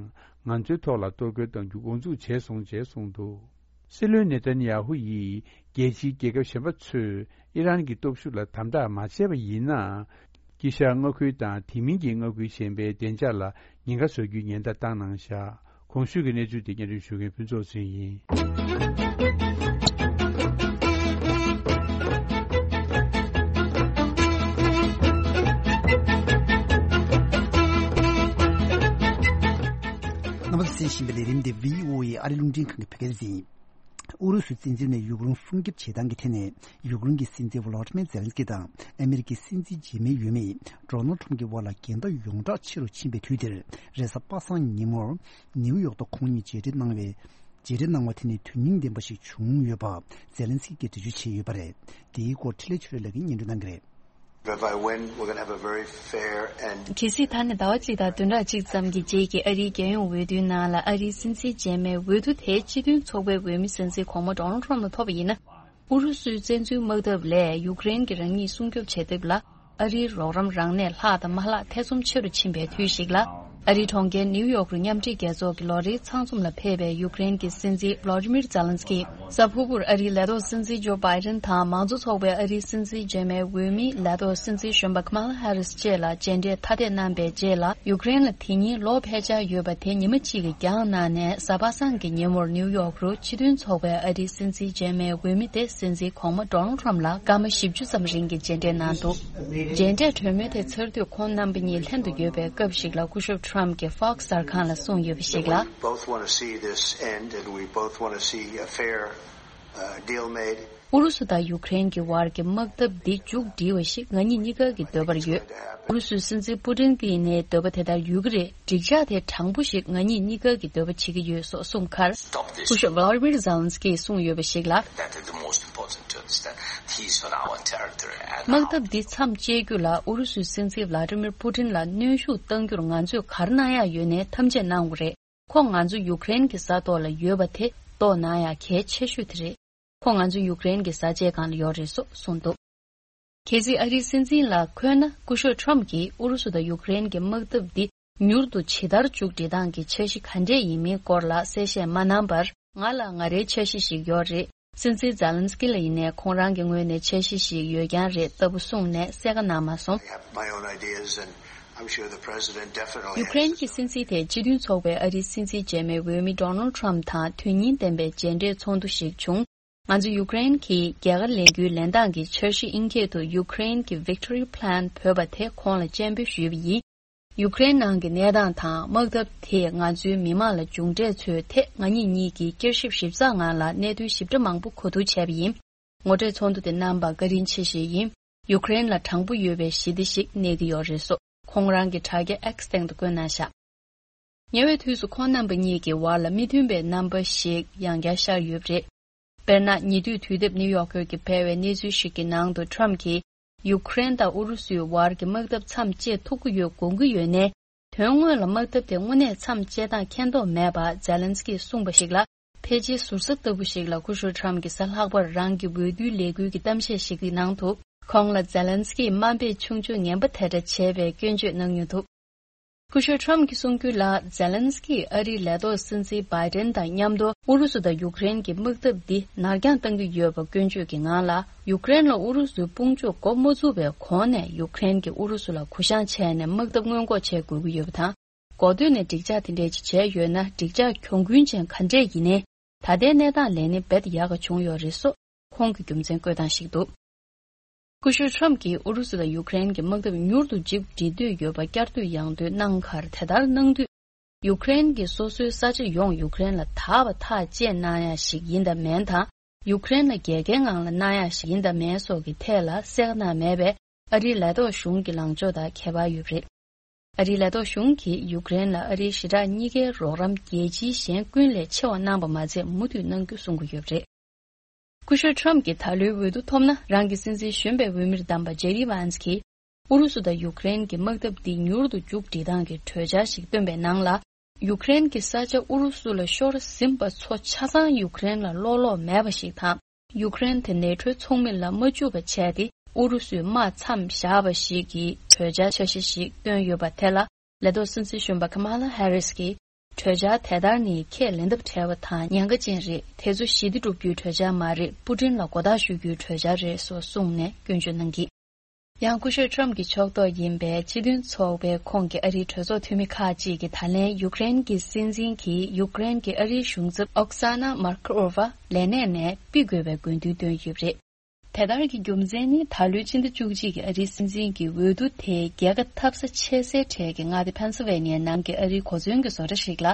ང་ཚོའི་ཐོག་ལ་གཏོར་རྒོལ་གཏང་རྒྱུ་འགོ་འཛུགས་བྱས་སོང་ཅེས་གསུངས་འདུག་སྲིད་བློན་ནེ་ཐན་ཡ་ཧུ་ཡིས་རྒྱལ་སྤྱིའི་རྒྱལ་ཁབ་གཞན་པ་ཚོས་ཨི་རན་གྱི་སྟོབས་ཤུགས་ལ་དམ་དྲག་མ་བྱས་པ་ཡིན་ན། དཀྱིལ་ཤར་མངའ་ཁུལ་དང་དེ་མིན་གྱི་མངའ་ཁུལ་གཞན་པའི་བདེ་འཇགས་ལ་ཉེན་ཁ་བཟོ་རྒྱུའི་ཉེན་བརྡ་བཏང་གནང་བཞག་གོང་ཞུས་ཀྱི་གནས་ཚུལ་དེ་སྙན་སྒྲོན་ཞུ་མཁན་ཕུན་ཚོགས་ཚེ་རིང་ཡིན། རྣམ་པ་ཚོས་གསན་བཞིན་པའི་ལས་རིམ་འདི་བྷི་ཨོ་ཨེ་ཨ་རི་རླུང་འཕྲིན་ཁང་གི་བོད་སྐད་སྡེ་ཚན་ཡིན། ཨུ་རུ་སུའི་བཙན་འཛུལ་ནས་ཡུཀ་རེན་སྲུང་སྐྱོབ་བྱེད་སྟངས་ཀྱི་ཐད་ནས། ཡུཀ་རེན་གྱི་སྲིད་འཛིན་ཝོ་ལོ་ཏི་མེ་ཛེ་ལན་སི་ཀི་དང་ཨ་མེ་རི་ཀའི་སྲིད་འཛིན་རྗེས་མའི་འོས་མི་ཌོ་ནལ་ཁྲམ་གྱི་དབར་ལ་འགལ་ཟླ་ཡོངས་གྲགས་ཆེ་རུ་ཕྱིན་པའི་དུས་འདིར། རེས་གཟའ་པ་སངས་ཉིན་མོར་ནིའུ་ཡོག་ཏུ་ཁོང་གཉིས་མཇལ་འཕྲད་གནང་བའི། མཇལ་འཕྲད་གནང་བ་དེ་ནི་དོན་སྙིང་ལྡན་པ་ཞིག་བྱུང་ཡོད་པ་ཛེ་ལན་སི་ཀིས་འགྲེལ་བརྗོད་བྱས་ཡོད་པ་རེད། དེའི་སྐོར་འཕྲིན་ལས་ཆོས་སྒྲོན་ལགས་ཀྱིས་སྙན་སྒྲོན་གནང་གི་རེད། If I win, we're gonna have a very fair and གལ་སྲིད་ད་ནི་ཟླ་བ་གཅིག་དང་བདུན་ཕྲག་གཅིག་ཙམ་གྱི་རྗེས་ཀྱི་ཨ་རིའི་རྒྱལ་ཡོངས་འོས་བསྡུའི་ནང་ལ་ཨ་རིའི་སྲིད་འཛིན་རྗེས་མའི་འོས་བསྡུ་དེ་སྤྱི་མཐུན་ཚོགས་པའི་འོས་མི་སྲིད་འཛིན་གོང་མ་ཌོ་ནལ་ཁྲམ་ལ་ཐོབ་པ་ཡིན་ན། ཨུ་རུ་སུའི་བཙན་འཛུལ་དམག་འཐབ་ལས་ཡུཀ་རེན་གྱིས་རང་ཉིད་སྲུང་སྐྱོབ་བྱེད་ཐབས་ལ་ཨ་རིའི་རོགས་རམ་རང་ནས་ལྷག་དང་མ་ལྷག་ཐེ་ཚོམ་ཆེ་རུ་ཕྱིན་པའི་དུས་ཤིག་ལ། ཨ་རིའི་གྲོང་ཁྱེར་ནིའུ་ཡོག་རུ་མཉམ་འབྲེལ་རྒྱལ་ཚོགས་ཀྱི་ལོ་རེའི་ཚང་འཛོམས་ལ་ཕེབས་པའི་ཡུཀ་རེན་གྱི་སྲིད་འཛིན་ཝ་ལོ་ཏི་མིར་ཛེ་ལན་སི་ཀི། གཟའ་ཕུར་བུར་ཨ་རིའི་ལས་ཐོག་སྲིད་འཛིན་ཇོ་བྷའི་ཌེན་དང་མང་གཙོ་ཚོགས་པའི་ཨ་རིའི་སྲིད་འཛིན་རྗེས་མའི་འོས་མི་ལས་ཐོག་སྲིད་འཛིན་གཞོན་པ་ཁ་མ་ལ་ཧེ་རིས་བཅས་ལ་མཇལ་འཕྲད་ཐ་དད་གནང་བའི་རྗེས་ལ། ཡུཀ་རེན་ལ་དེ་ཉིན་ལོ་ཕལ་ཆེར་ཡོད་པ་དེ་ཉི་མ་གཅིག་གིས་འགྱངས་གནང་ནས། གཟའ་པ་སངས་ཀྱི་ཉིན་མོར་ནིའུ་ཡོག་རུ་སྤྱི་མཐུན་ཚོགས་པའི་ཨ་རིའི་སྲིད་འཛིན་རྗེས་མའི་འོས་མི་དེ་སྲིད་འཛིན་གོང་མ་ཌོ་ནལ་ཁྲམ་ལ་སྐར་མ་བཞི་བཅུ་ཙམ་རིང་གི་མཇལ་འཕྲད་གནང་འདུག་མཇལ་འཕྲད་གྲོས་མོལ་དེ་ཚར་དུས་ཁོང་རྣམ་པ་གཉིས་ལྷན་དུ་ཡོད་པའི་སྐབས་ཤིག་ལ། སྐུ་ཞབས་ཁྲམ་གྱིས་ཧྥོག་སི་གསར་ཁང་ལ་གསུངས་ཡོད་པ་ཞིག་ལ། We both want to see this end and we both want to see a fair, uh, deal made. ཨུ་རུ་སུ་དང་ཡུཀ་རེན་གྱི་དབར་གྱི་དམག་འཐབ་འདི་མཇུག་སྒྲིལ་བ་ཞིག་ང་གཉིས་གཉིས་ཀ་གི་འདོད་པར་ཡོད། ཨུ་རུ་སུའི་སྲིད་འཛིན་པུ་ཏིན་གྱིས་ནི་འདོད་པ་དེ་ལྟར་ཡོད་ཀྱི་རེད། འགྲིག་འཇགས་དེ་དྲང་པོ་ཞིག་ང་གཉིས་གཉིས་ཀ་གི་འདོད་པ་བྱེད་ཀྱི་ཡོད་སོགས་གསུངས་ཁར། སྐུ་ཞབས་ཝ་ལ་ཏི་མིར་ཛེ་ལན་སི་ཀིས་གསུངས་ཡོད་པ་ཞིག་ལ། That is the most important to understand. He's on our territory and དམག་འཐབ་འདི་མཚམས་གཅད་རྒྱུ་ལ་ཨུ་རུ་སུའི་སྲིད་འཛིན་ཝ་ལ་ཏི་མིར་པུ་ཏིན་ལ་གནོན་ཤུགས་གཏང་རྒྱུར་ང་ཚོས་ག་རེ་གནང་ཡག་ཡོད་ནའི་ཐམས་ཅད་གནང་དགོས་རེད། ཁོང་ང་ཚོ་ཡུཀ་རེན་གྱི་ས་ཐོག་ལ་ཡོད་པ་དེ་རྟོགས་གནང་ཡག་གལ་ཆེ་ཤོས་དེ་རེད། ཁོང་ང་ཚོ་ཡུཀ་རེན་གྱི་ས་ཆའི་སྒང་ལ་ཡོད་རེད་སོགས་གསུངས་འདུག་གལ་སྲིད་ཨ་རིའི་སྲིད་འཛིན་ལ་འཁོད་ན། སྐུ་ཞབས་ཁྲམ་གྱིས་ཨུ་རུ་སུ་དང་ཡུཀ་རེན་གྱི་དམག་འཐབ་འདི་མྱུར་དུ་ཇི་ལྟར་མཇུག་སྒྲིལ་སྟངས་ཀྱི་འཆར་གཞི་ག་འདྲས་ཡིན་མིན་སྐོར་ལ་གསལ་བཤད་མ་གནང་བར། ང་ལ་ང་རའི་འཆར་གཞི་ཞིག་ཡོད་རེད། སྲིད་འཛིན་ཛེ་ལན་སི་ཀི་ལ་ཡིན་ནའི་ཁོང་རང་གི་ངོས་ནས་འཆར་གཞི་ཞིག་ཡོད་རྐྱང་རེད་ལྟ་བུ་གསུངས་ནས་གསལ་ཁ་གནང་མ་སོང་། I have my own ideas and I'm sure the president definitely has his own. ཡུཀ་རེན་གྱི་སྲིད་འཛིན་དེ་སྤྱི་མཐུན་ཚོགས་པའི་ཨ་རིའི་སྲིད་འཛིན་རྗེས་མའི་འོས་མི་ཌོ་ནལ་ཁྲམ་དང་དོན་སྙིང་ལྡན་པའི་མཇལ་འཕྲད་ཚོགས་འདུ་ཞིག་བྱུང་། ང་ཚོ་ཡུཀ་རེན་གྱི་རྒྱལ་ཁ་ལེན་རྒྱུའི་ལེན་སྟངས་ཀྱི་འཆར་གཞི་ཨིན་སྐད་དུ་ཡུཀ་རེན་གྱི་Victory Plan བོད་པ་དེ་ཁོང་ལ་སྤྱན་འབུལ་ཞུས་པ་ཡིན། ཡུཀ་རེན་ནང་གི་གནས་སྟངས་དང་དམག་འཐབ་དེས་ང་ཚོའི་མི་མང་ལ་མཇུག་འབྲས་འཚོལ་ཐད། ང་གཉིས་གཉིས་ཀྱིས་བསྐྱར་ཞིབ་ཞིབ་ཚགས་ངང་ལ་གནད་དོན་ཞིབ་ཕྲ་མང་པོ་གོ་བསྡུར་བྱས་པ་ཡིན། ངོ་སྤྲོད་ཚོགས་འདུ་དེ་གནང་བར་བཀའ་དྲིན་ཆེ་ཞུས་ཡིན། ཡུཀ་རེན་ལ་དྲང་པོ་ཡོད་པའི་ཞི་བདེ་ཞིག་གནས་ཀྱི་ཡོད་རེད་སོགས་ཁོང་རང་གི་དྲ་རྒྱ་X་སྟེང་དུ་བཀོད་གནང་བཞག་ཉེ་བའི་དུས་སུ་ཁོང་རྣམ་པ་གཉིས་ཀྱི་བར་ལ་མི་མཐུན་པའི་རྣམ་པ་ཞིག་ཡང་བསྐྱར་ཤར་ཡོད་པ་རེད། དཔེར་ན། ཉེ་དུས་དུས་དེབ་ནིའུ་ཡོག་པོ་སྟ་གིས་སྤེལ་བའི་གནས་ཚུལ་ཞིག་གི་ནང་དུ་ཁྲམ་གྱིས་ཡུཀ་རེན་དང་ཨུ་རུ་སུའི་བར་གྱི་དམག་འཐབ་མཚམས་བཅད་ཐུབ་ཀྱི་ཡོད་དགོངས་ཀྱི་ཡོད་ནའི། དོན་དངོས་ལ་དམག་འཐབ་དེ་དངོས་གནས་མཚམས་བཅད་སྟངས་མཁྱེན་རྟོགས་མེད་པ་ཛེ་ལན་སི་ཀིས་གསུངས་པ་ཞིག་ལ། ཕལ་ཆེར་ཟུར་ཟ་ལྟ་བུ་ཞིག་ལ་སྐུ་ཞབས་ཁྲམ་གྱིས་གཟའ་ལྷག་པར་རང་གི་འོས་བསྡུའི་ལས་འགུལ་གྱི་གཏམ་བཤད་ཞིག་གི་ནང་དུ། ཁོང་ལ་ཛེ་ལན་སི་ཀིས་དམའ་འབེབས་ཆུང་ཆུང་ངན་པ་དེ་འདྲ་བྱས་པའི་སྐྱོན་བརྗོད་གནང་མྱོང་འདུག་སྐུ་ཞབས་ཁྲམ་གྱིས་གསུངས་རྒྱུ་ལ། ཛེ་ལན་སི་ཀི་ཨ་རིའི་ལས་ཐོག་སྲིད་འཛིན་བྷའི་ཏན་དང་མཉམ་དུ་ཨུ་རུ་སུ་དང་ཡུཀ་རེན་གྱི་དམག་འཐབ་འདི་ནར་འགྱངས་གཏང་གི་ཡོད་པ་སྐྱོན་བརྗོད་ཀྱི་ངང་ལ། ཡུཀ་རེན་ལ་ཨུ་རུ་སུའི་དཔུང་འཇུག་འགོ་མ་བཙུགས་པའི་གོང་ནས་ཡུཀ་རེན་གྱིས་ཨུ་རུ་སུ་ལ་གུ་བཤངས་བྱས་ནས་དམག་འཐབ་སྔོན་འགོག་བྱེད་དགོས་ཀྱི་ཡོད་པ་དང་། འགོ་སྟོད་ནས་འགྲིག་འཇགས་དེ་འདྲས་ཅིག་བྱས་ཡོད་ན། འགྲིག་འཇགས་གྱོང་གུན་ཅན་ག་འདྲས་ཡིན་ནའི། ད་ལྟའི་གནས་སྟངས་ལས་ནི་རྦད་དེ་ཡག་ག་བྱུང་ཡོད་རེད་སོགས་ཁོང་གི་རྒྱུ་མཚན་བཀོད་སྟངས་ཤིག་འདུག་སྐུ་ཞབས་ཁྲམ་གྱིས་ཨུ་རུ་སུ་དང་ཡུཀ་རེན་གྱི་དམག་འཐབ་མྱུར་དུ་མཇུག་སྒྲིལ་འདོད་ཡོད་པ་བསྐྱར་ཟློས་ཡང་ཟློས་གནང་ཁར། དེ་ལྟར་གནང་དུས། ཡུཀ་རེན་གྱིས་སོ་སོའི་ས་ཆ་ཡོངས་ཡུཀ་རེན་ལ་དག་པ་ཐག་བཅད་གནང་ཡ་ཞིག་ཡིན་དང་མིན་དང་། ཡུཀ་རེན་ལ་རྒྱལ་ཁའི་ངང་ལ་གནང་ཡ་ཞིག་ཡིན་དང་མིན་སོགས་ཀྱི་ཐད་ལ་གསལ་ཁ་གནང་མེད་པས། ཨ་རིའི་ལས་ཐོག་གཞུང་གི་ལངས་ཕྱོགས་དང་ཁྱད་པར་ཡོད་པ་རེད། ཨ་རིའི་ལས་ཐོག་གཞུང་གིས་ཡུཀ་རེན་ལ་ཨ་རིའི་ཞི་དྲག་གཉིས་ཀའི་རོགས་རམ་རྒྱལ་སྤྱིའི་གཞན་ཀུན་ལས་ཆེ་བ་གནང་པ་མ་ཚད་མུ་མཐུད་གནང་རྒྱུ་གསུང་གི་ཡོད་པ་རེད། སྐུ་ཞབས་ཁྲམ་གྱིས་ད་ལོའི་འོས་བསྡུ་ཐོབ་ན། རང་གི་སྲིད་འཛིན་གཞོན་པའི་འོས་མིར་བདམས་པ་ཇེ་ཌི་ཝན་སི་གིས། ཨུ་རུ་སུ་དང་ཡུཀ་རེན་གྱི་དམག་འཐབ་འདི་མྱུར་དུ་མཇུག་སྒྲིལ་སྟངས་ཀྱི་གྲོས་འཆར་ཞིག་བཏོན་པའི་ནང་ལ། ཡུཀ་རེན་གྱི་ས་ཆ་ཨུ་རུ་སུ་ལ་ཤོར་ཟིན་པ་ཚོ་ཆ་ཚང་ཡུཀ་རེན་ལ་ལོག་ལོག་མེད་པ་ཞིག་དང་། ཡུཀ་རེན་དེ་ནེ་ཊོའི་ཚོགས་མི་ལ་མ་འཇུག་པ་བྱས་ཏེ། ཨུ་རུ་སུའི་དམག་མཚམས་བཞག་པ་ཞིག་གི་གྲོས་འཆར་འཆར་གཞི་ཞིག་བཏོན་ཡོད་པ་དེ་ལ། ལས་ཐོག་སྲིད་འཛིན་གཞོན་པ་ཀ་མ་ལ་ཧེ་རིས་ཀྱིས། གྲོས་འཆར་དེ་ལྟར་ནི་ཁས་ལེན་ཐབས་བྲལ་བ་དང་ཉེན་ཁ་ཅན་རེད། དེ་ཚོ་ཞི་བདེ་སྒྲུབ་རྒྱུའི་གྲོས་འཆར་མ་རེད། པུ་ཏིན་ལ་མགོ་བཏགས་གཞུ་རྒྱུའི་གྲོས་འཆར་རེད་སོགས་གསུངས་ནས་སྐྱོན་བརྗོད་གནང་གིས། ཡང་སྐུ་ཞབས་ཁྲམ་གྱི་ཕྱོགས་གཏོགས་ཡིན་པའི་སྤྱི་མཐུན་ཚོགས་པའི་ཁོངས་ཀྱི་ཨ་རིའི་གྲོས་ཚོགས་འཐུས་མི་ཁག་ཅིག་གིས། ད་ལན་ཡུཀ་རེན་གྱི་སྲིད་འཛིན་གྱིས་ཡུཀ་རེན་གྱི་ཨ་རིའི་གཞུང་ཚབ་ཨོག་ས་ན་མར་ཁོ་ཨོ་ཝ་ལས་གནས་ནས་ཕུད་དགོས་པའི་དགོས་འདུན་བཏོན་ཡོད་པ་རེད། དེ་ལྟར་གྱི་རྒྱུ་མཚན་ནི། ད་ལོའི་ཕྱི་ཟླ་བཅུ་གཅིག་གི་ཨ་རིའི་སྲིད་འཛིན་གྱི་འོས་བསྡུ་དེ་རྒྱལ་ཁ་ཐེབས་ས་ཆེ་སའི་གྲས་ཀྱི་མངའ་སྡེ་ཕེན་སི་ཝེ་ནི་ཡའི་ནང་གི་ཨ་རིའི་གོ་མཚོན་གྱི་བཟོ་གྲྭ་ཞིག་ལ།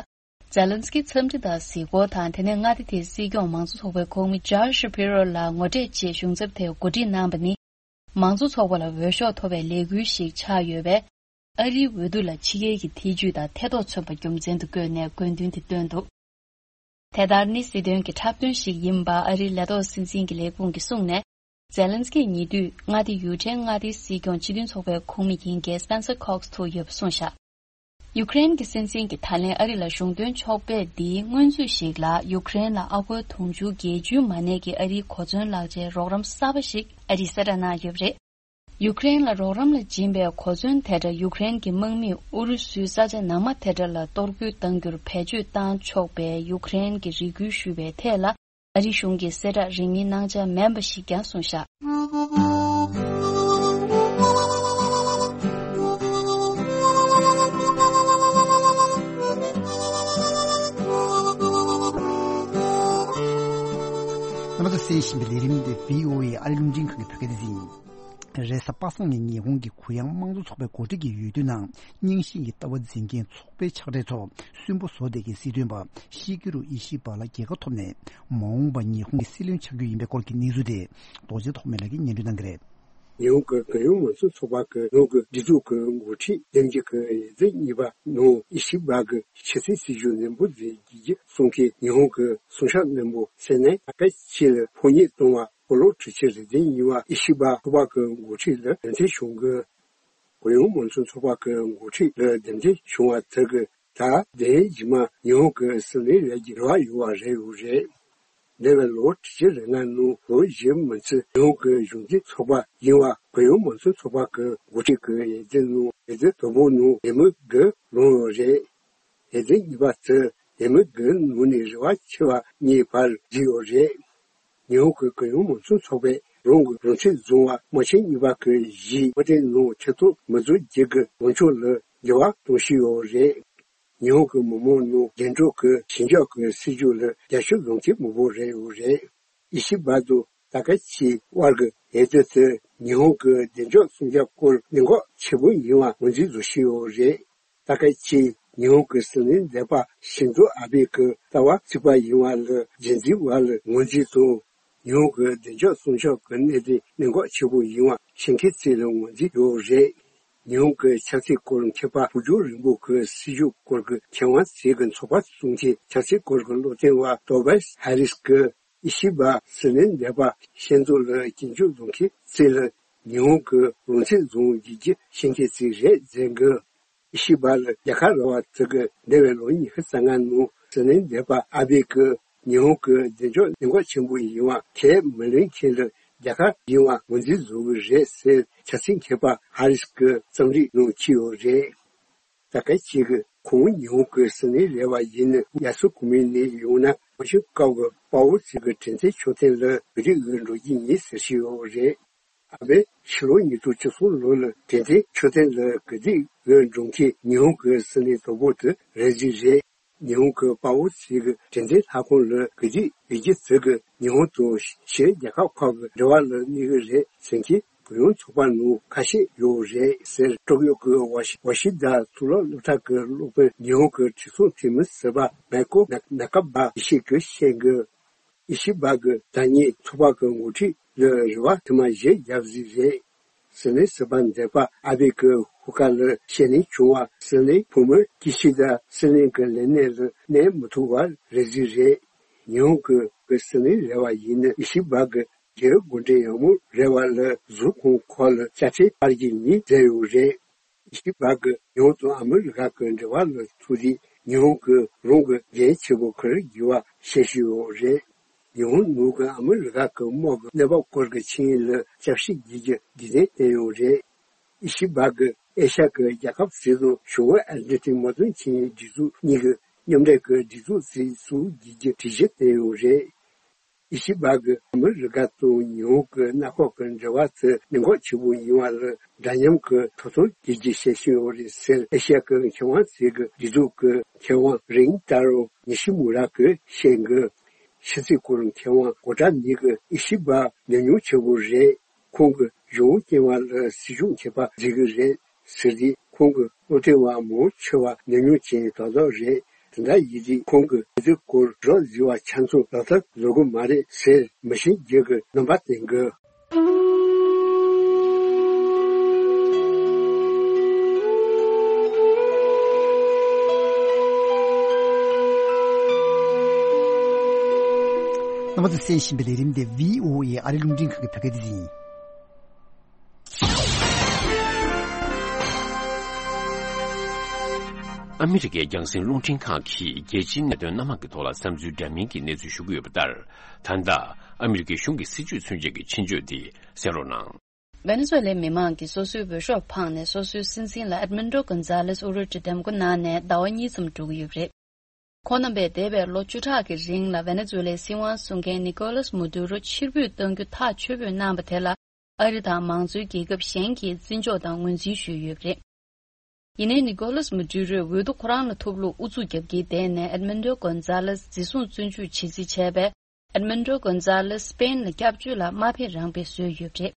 ཛེ་ལན་སི་ཀི་འཚམས་འདྲི་དང་གཟིགས་སྐོར་དང་། དེ་ནས་མངའ་སྡེ་དེའི་སྲིད་སྐྱོང་མང་གཙོ་ཚོགས་པའི་ཁོངས་མི་ཇར་ཤ་པི་རོ་ལ་ངོ་འཕྲད་ཆེད་གཞུང་ཚབ་དེ་གོ་སྒྲིག་གནང་པ་ནི། མང་གཙོ་ཚོགས་པ་ལ་འོས་ཤོག་ཐོབ་པའི་ལས་འགུལ་ཞིག་ཆགས་ཡོད་པས། ཨ་རིའི་འོས་བསྡུ་ལ་ཕྱི་རྒྱལ་གྱི་ཐེ་ཇུས་དང་ཐེ་གཏོགས་མཚོན་པ་རྒྱུ་མཚན་དུ་བཀོད་ནས་དགོས་འདུན་དེ་བཏོན་འདུག་དེ་ལྟར་ནི་སྲིད་དོན་གྱི་འཁྲབ་སྟོན་ཞིག་ཡིན་པ་ཨ་རིའི་ལས་ཐོག་སྲིད་འཛིན་གྱི་ལས་ཁུངས་ཀྱིས་གསུངས་ནས། ཛེ་ལན་སི་ཀི་ཉེ་དུས་མངའ་སྡེ་ཡུ་ཀྲེན་མངའ་སྡེའི་སྲིད་སྐྱོང་སྤྱི་མཐུན་ཚོགས་པའི་ཁོངས་མི་ཡིན་མཁན་སྤེན་སར་ཁོག་སི་ཐུག་ཡོད་པ་གསུངས་བཞག་ཡུཀ་རེན་གྱི་སྲིད་འཛིན་གྱིས་ད་ལན་ཨ་རི་ལ་གཞུང་དོན་ཕྱོགས་ཕེབས་འདིའི་སྔོན་ཚུད་ཞིག་ལ། ཡུཀ་རེན་ལ་ཨ་སྒོར་དུང་ཕྱུར་བརྒྱད་ཅུའི་མ་གནས་ཀྱི་ཨ་རིའི་གོ་མཚོན་ལག་ཆའི་རོགས་རམ་གསར་པ་ཞིག་ཨ་རིས་གསལ་བསྒྲགས་གནང་ཡོད་པ་རེད། ཡུཀ་རེན་ལ་རོགས་རམ་ལ་སྦྱིན་པའི་གོ་མཚོན་དེ་འདྲ་ཡུཀ་རེན་གྱི་དམག་མིས་ཨུ་རུ་སུའི་ས་ཆ་ནང་མ་དེ་འདྲ་ལ་གཏོར་རྒོལ་གཏང་རྒྱུར་བེད་སྤྱོད་གཏང་ཆོག་པའི་ཡུཀ་རེན་གྱི་རེ་སྐུལ་ཞུས་པའི་ཐད་ལ། ཨ་རིའི་གཞུང་གིས་གསལ་བསྒྲགས་རིང་མིན་གནང་འཆར་མིན་པ་ཞིག་ཀྱང་གསུངས་བཞག་རྣམ་པ་ཚོས་གསན་བཞིན་པའི་ལས་རིམ་འདི་བྷི་ཨོ་ཨེ་ཨ་རིའི་རླུང་འཕྲིན་ཁང་གི་བོད་སྐད་སྡེ་ཚན་ཡིན། རེས་གཟའ་པ་སངས་ཉིན་ཉི་ཧོང་གི་གུ་ཡངས་དམངས་གཙོ་ཚོགས་པའི་འགོ་ཁྲིད་ཀྱིས་ཡོད་དུས་ནང་རྙིང་ཞེན་གྱི་ལྟ་བ་འཛིན་མཁན་ཚོགས་པའི་ཕྱག་སྦྲེལ་ཚོ་སུན་པོ་བཟོ་བསྡད་མཁན་སྲིད་དོན་པ་ཤི་གི་རུ་ཨི་ཤི་བ་ལ་རྒྱལ་ཁ་ཐོབ་ནས་མ་འོངས་པ་ཉི་ཧོང་གི་སྲིད་བློན་ཆགས་རྒྱུ་ཡིན་པའི་སྐོར་གྱི་གནས་ཚུལ་དེ་རྡོ་རྗེ་ཐོགས་མེད་ལགས་ཀྱིས་སྙན་སྒྲོན་གནང་གི་རེད། ཉི་ཧོང་གི་གུ་ཡངས་དམངས་གཙོ་ཚོགས་པ་གི་ནང་གི་སྒྲིག་འཛུགས་ཀྱི་འགོ་ཁྲིད་ལྡན་རྒྱུ་གི་ཡ་རྩེ་གཉིས་པ་ནང་ཨི་ཤི་བ་གི་ཆབ་སྲིད་སྲིད་བྱུས་ནན་པོ་མཛད་རྒྱུ་གསུང་མཁན་ཉི་ཧོང་གི་སྲུང་སྐྱོབ་སྣེ་མོ་སེ་ནའི་ད་ག་ཆེ་ལ་ཕོ་ཉ་བཏང་བ་སྤོ་ལོ་འཁྲུག་ཆེན་རེ་འཛིན་ཡིན་པ་ཨི་ཤི་བ་ཚོགས་པ་གི་འགོ་ཁྲིད་ལ་འདེམས་ཐོན་བྱུང་གི། གུ་ཡངས་དམངས་གཙོ་ཚོགས་པ་གི་འགོ་ཁྲིད་ལ་འདེམས་ཐོན་བྱུང་བ་དེ་གི་ད་དེའི་རྗེས་མ་ཉི་ཧོང་གི་སྲིད་བློན་ལས་ཀྱི་རེ་བ་ཡོད་པ་རེད་ཡོད་རེད། འདས་པའི་ལོ་ཁྲི་བཅུ་རེ་ལྔ་ནང་ལོ་བཞི་མི་ཚད་ཉི་ཧོང་གི་གཞུང་འཛིན་ཚོགས་པ་ཡིན་པ་གུ་ཡངས་དམངས་གཙོ་ཚོགས་པ་གི་འགོ་ཁྲིད་ཀྱི་ཡ་རྩེ་ནང་ཡ་རྩེ་དང་པོ་ནང་འདེམས་ངོ་དགུ་ལོན་ཡོད་རེད། ཡ་རྩེ་གཉིས་པ་དེ་འདེམས་ངོ་དགུ་ནང་ནས་རེ་བ་ཆེ་བ་གཉིས་བར་བརྗེས་ཡོད་རེད། ཉི་ཧོང་གི་གུ་ཡངས་དམངས་གཙོ་ཚོགས་པས་རང་གི་རང་ཚུགས་བཟུང་བ་དམག་ཆེན་གཉིས་པ་གི་གཞི་དམག་དོན་ནང་ཆེ་མཐོང་མི་འཛུགས་རྒྱུ་གི་ལངས་ཕྱོགས་ལ་འགྱུར་བ་གཏོང་བཞིན་ཡོད་རེད། ཉི་ཧོང་གི་མི་མང་ནང་རྒྱན་སྒྲོག་གི་ཞི་འཇགས་ཀྱི་སྲིད་ཇུས་ལ་རྒྱབ་སྐྱོར་ཡོང་མཁན་མང་པོ་རེད་ཡོད་རེད། ཨི་ཤི་བ་དང་ད་ག་ཆེ་དབར་གྱི་འོས་བསྡུ་དེ་ཉི་ཧོང་གི་བདེ་འཇགས་སྲུང་སྐྱོབ་སྐོར་གནད་འགག་ཆེན་པོ་ཡིན་པ་ངོས་འཛིན་བཟོ་བཞིན་ཡོད་རེད། ད་ག་ཆེ་ཉི་ཧོང་གི་སྲིད་བློན་འདས་པ་ཤིན་ཛོ་ཨ་བྷེ་གི་ལྟ་བ་གཅིག་པ་ཡིན་པ་ལ་རྒྱལ་འཛིན་པ་ལ་ངོས་འཛིན་དང་། ཉི་ཧོང་གི་བདེ་འཇགས་སྲུང་སྐྱོབ་ཀྱི་གནད་དོན་གནད་འགག་ཆེན་པོ་ཡིན་པ་ཤེས་མཁན་ཚོས་ལ་ངོས་འཛིན་ཡོད་རེད། ཉི་ཧོང་གི་ཆབ་སྲིད་སྐོར་མཁས་པ་ཕུགས་རྒྱང་རིང་པོ་གི་སྲིད་བྱུས་སྐོར་གྱི་མཁས་དབང་ཚོས་ཀྱི་ཚོགས་པ་བཙུགས་མཁན་ཆབ་སྲིད་སྐོར་གྱི་སློབ་སྟོན་པ་ཏོ་བེས་ཧེ་རིས་ཀྱིས་ཨི་ཤི་བ་སྲིད་བློན་འདས་པ་ཤིན་ཛོ་ལ་སྐྱོན་བརྗོད་བཟོ་མཁན་ཚོས་ལ་ཉི་ཧོང་གི་རང་ཚུགས་བཟུང་རྒྱུ་ཤེས་མཁན་ཚོ་རེད་ཟེར་གི། ཨི་ཤི་བ་ལ་རྒྱལ་ཁབ་ར་བ་དེ་གི་འདས་པའི་ལོ་ཉི་ཤུ་རྩ་ལྔ་ནང་སྲིད་བློན་འདས་པ་ཨ་བྷེ་གིས་ཉི་ཧོང་གི་བདེ་འཇགས་གནད་འགག་ཆེན་པོ་ཡིན་པ་ཁས་མི་ལེན་མཁན་ལ་རྒྱལ་ཁབ་ཡིན་པ་ངོས་འཛིན་བཟོ་གི་རེད་ཟེར་ཆབ་སྲིད་མཁས་པ་ཧ་རིས་ཀྱི་རྩོམ་རིག་ནང་བྲིས་ཡོད་རེད། ད་ག་ཅིག་གིས་ཁོང་ཉི་ཧོང་གི་སྲིད་བློན་རེད་པ་ཡིན་ན། ཡ་སུ་གུ་མི་ནས་ཡོང་ན་མ་ཤུ་ཀའོ་གི་དཔའ་བོ་ཚོས་གི་དྲན་རྟེན་མཆོད་རྟེན་ལ་ག་དུས་འགྲོ་གི་ཡིན་ཟེར་བཞིན་ཡོད་རེད། ཨ་མས་ཕྱི་ལོ་ཉིས་སྟོང་བཅུ་གསུམ་ལོ་ལ་དྲན་རྟེན་མཆོད་རྟེན་ལ་ག་དུས་འགྲོ་མཁན་ཉི་ཧོང་གི་སྲིད་བློན་དང་པོ་དེ་རེད་ཟེར་རེད། ཉི་ཧོང་གི་དཔའ་བོ་ཚོས་གི་དྲན་རྟེན་ལྷ་ཁང་ལ་ག་དུས་ཡོང་རྒྱུ་དེ་གིས་ཉི་ཧོང་དང་ཕྱིའི་རྒྱལ་ཁབ་ཁག་གི་འབྲེལ་བ་ལ་གནོད་གི་རེད་ཟེར་མཁན་གུ་ཡངས་ཚོགས་པ་ནང་ཁ་ཤས་ཡོད་རེད་ཟེར། ཀྲོག་ཡོག་གི་ཝ་ཤི་ཝ་ཤི་དཱ་གཙུག་ལག་སློབ་གྲྭ་གི་སློབ་དཔོན་ཉི་ཧོང་གི་དྲིལ་སྒྲོག་འཐུས་མི་ཟུར་པ་མེ་ཀོ་ནཱ་ཀ་པ་ཡེ་ཤེས་ཀྱིས་བཤད་གི། ཨི་ཤི་བ་གིས་ད་ཉིད་ཚོགས་པ་གི་ངོ་འཕྲོད་ལ་རེ་བ་དུ་མ་བཞི་བརྒྱབ་ཟིག་རེད། སྲིད་བློན་ཟུར་པ་འདས་པ་ཨ་བྷེ་གི་ཧུ་ཀ་ལ་ཤེས་ལེན་བྱུང་བ། སྲིད་བློན་བུ་མོ་ཀི་ཤི་དཱ་སྲིད་བློན་གྱི་ལས་གནས་ལ་གནས་མི་ཐུབ་པ་རེད་ཟིག་རེད། ཉི་ཧོང་གི་གི་སྲིད་བློན་རེད་པ་ཡིན་ན་ཨི་ཤི་བ་གི་རྒྱའི་འགོ་འདྲེན་ཡག་མོ་རེད་པ་ལ་གཟུགས་ཁོང་ཁོག་ལ་དཔྱ་ཁྲལ་སྤར་གྱི་ཡིན་ཟེར་ཡོད་རེད། ཨི་ཤི་བ་གིས་ཉི་ཧོང་དང་ཨ་མི་རི་ཀ་གི་འབྲེལ་བ་ལ་ཐུག་དུས་ཉི་ཧོང་གིས་རང་གི་འགན་ཆེན་པོ་འཁུར་དགོས་པ་བཤད་བཞིན་ཡོད་རེད། ཉི་ཧོང་ནང་གི་ཨ་མི་རི་ཀ་གི་དམག་གི་གནས་བབ་སྐོར་གྱི་ཆིངས་ཡིག་ལ་བསྐྱར་ཞིབ་བགྱིད་རྒྱུ་རྒྱུན་ལྡན་བསྟན་ཡོད་རེད། ཨི་ཤི་བ་གིས་ཨེ་ཤ་ཡ་གི་རྒྱལ་ཁབ་ཟིག་དང་ཞི་བའི་ཨར་ཇེན་ཏིན་དམག་དོན་ཆིངས་ཡིག་སྒྲིག་འཛུགས་གཉིས་ཀྱི་མཉམ་འབྲེལ་གྱི་སྒྲིག་འཛུགས་ཟིག་བཙུགས་རྒྱུའི་གྲོས་གཞི་བཏོན་ཡོད་རེད། ཨི་ཤི་བ་གིས་ཨ་མི་རི་ཀ་དང་ཉི་ཧོང་གི་མངའ་ཁོངས་ཀྱི་འབྲེལ་བ་དེ་གནད་འགག་ཆེན་པོ་ཡིན་པ་ལ་འདྲ་མཉམ་གྱི་ཐོབ་ཐང་རྒྱུད་སྐྱེད་བྱེད་བཞིན་ཡོད་རེད་ཟེར། ཨེ་ཤ་ཡ་གི་མཁས་དབང་ཟིག་གི་སྒྲིག་འཛུགས་ཀྱི་མཁས་དབང་རིན་ཏཱ་རོ་ཉི་ཤི་མུ་ར་གིས་བཤད་གི། ཕྱི་སྲིད་སྐོར་མཁས་དབང་གོ་ཏྲ་ནི་གིས་ཨི་ཤི་བ་ཉམས་མྱོང་ཆེན་པོ་རེད། ཁོང་གིས་གཞུང་རྐྱེན་པ་ལ་སྲིད་སྐྱོང་མཁས་པ་མཛད་གི་རེད་ཟེར་དུས། ཁོང་གི་བློ་མཐུན་པ་མང་ཆེ་བ་ཉམས་མྱོང་ཅན་རྡོག་རྡོག་རེད། དེ་འདྲ་ཡིན་དུས་ཁོང་གིས་དེ་སྐོར་རོབ་ཟིན་པ་ཆ་ཚང་ལག་བསྟར་བཟོ་གི་མ་རེད་ཟེར་མི་ཤེས་རྒྱུ་གི་རྣམ་པ་བསྟན་གི། རྣམ་པ་ཚོས་གསན་བཞིན་པའི་ལས་རིམ་དེ་བྷི་ཨོ་ཨེ་ཨ་རི་རླུང་འཕྲིན་ཁང་གི་བོད་སྐད་སྡེ་ཚན་ཡིན། ཨ་མི་རི་ཀའི་རྒྱང་སྲིང་རླུང་འཕྲིན་ཁང་གིས་རྒྱལ་སྤྱིའི་གནད་དོན་སྣ་མང་གི་ཐོག་ལ་བསམ་ཚུལ་འདྲ་མིན་གྱི་གནས་ཚུལ་ཞུ་གི་ཡོད་པ་ལྟར། ད་ལྟ་ཨ་མི་རི་ཀའི་གཞུང་གི་སྲིད་བྱུས་མཚོན་བྱེད་ཀྱི་ཆེད་བརྗོད་འདི་གསན་རོགས་གནང་། ཝེ་ནེ་ཛུ་ཝེ་ལའི་མི་མང་གིས་སོ་སོའི་འོས་ཤོག་འཕངས་ནས་སོ་སོའི་སྲིད་འཛིན་ལ་ཨེད་མན་ཌོ་གོན་ཛཱ་ལེས་དབུ་ཁྲིད་འདེམས་བསྐོ་གནང་ནས་ཟླ་བ་གཉིས་ཙམ་འགྲོ་གི་ཡོད་པ་རེད། ཁོང་རྣམ་པས་འདས་པའི་ལོ་བཅུ་ཕྲག་གི་རིང་ལ་ཝེ་ནེ་ཛུ་ཝེ་ལའི་སྲིད་དབང་སྲུང་མཁན་ནི་ཀོ་ལཱས་མ་དུ་རོ་ཕྱིར་འབུད་གཏང་རྒྱུ་ཐག་ཆོད་པོས་གནང་བ་དེ་ལ་ཨ་རི་དང་མང་གཙོའི་རྒྱལ་ཁབ་གཞན་གྱིས་བརྩི་འཇོག་དང་ངོས་འཛིན་ཞུས་ཡོད་པ་རེད། ཡིན་ནའི་ནི་ཀོ་ལཱས་མ་དུ་རོས་འོས་བསྡུ་ཁོ་རང་ལ་ཐོབ་ལུགས་ཨུ་ཚུགས་རྒྱབ་ཀྱིན་བསྡད་ནས་ཨེད་མན་ཌོ་གོན་ཛཱ་ལེས་འཛིན་བཟུང་བཙོན་འཇུག་བྱེད་རྩིས་བྱས་པས། ཨེད་མན་ཌོ་གོན་ཛཱ་ལེས་སི་པེན་ལ་སྐྱབས་བཅོལ་ལ་མ་ཕེབས་རང་ཕེབས་བཟོས་ཡོད་པ་རེད།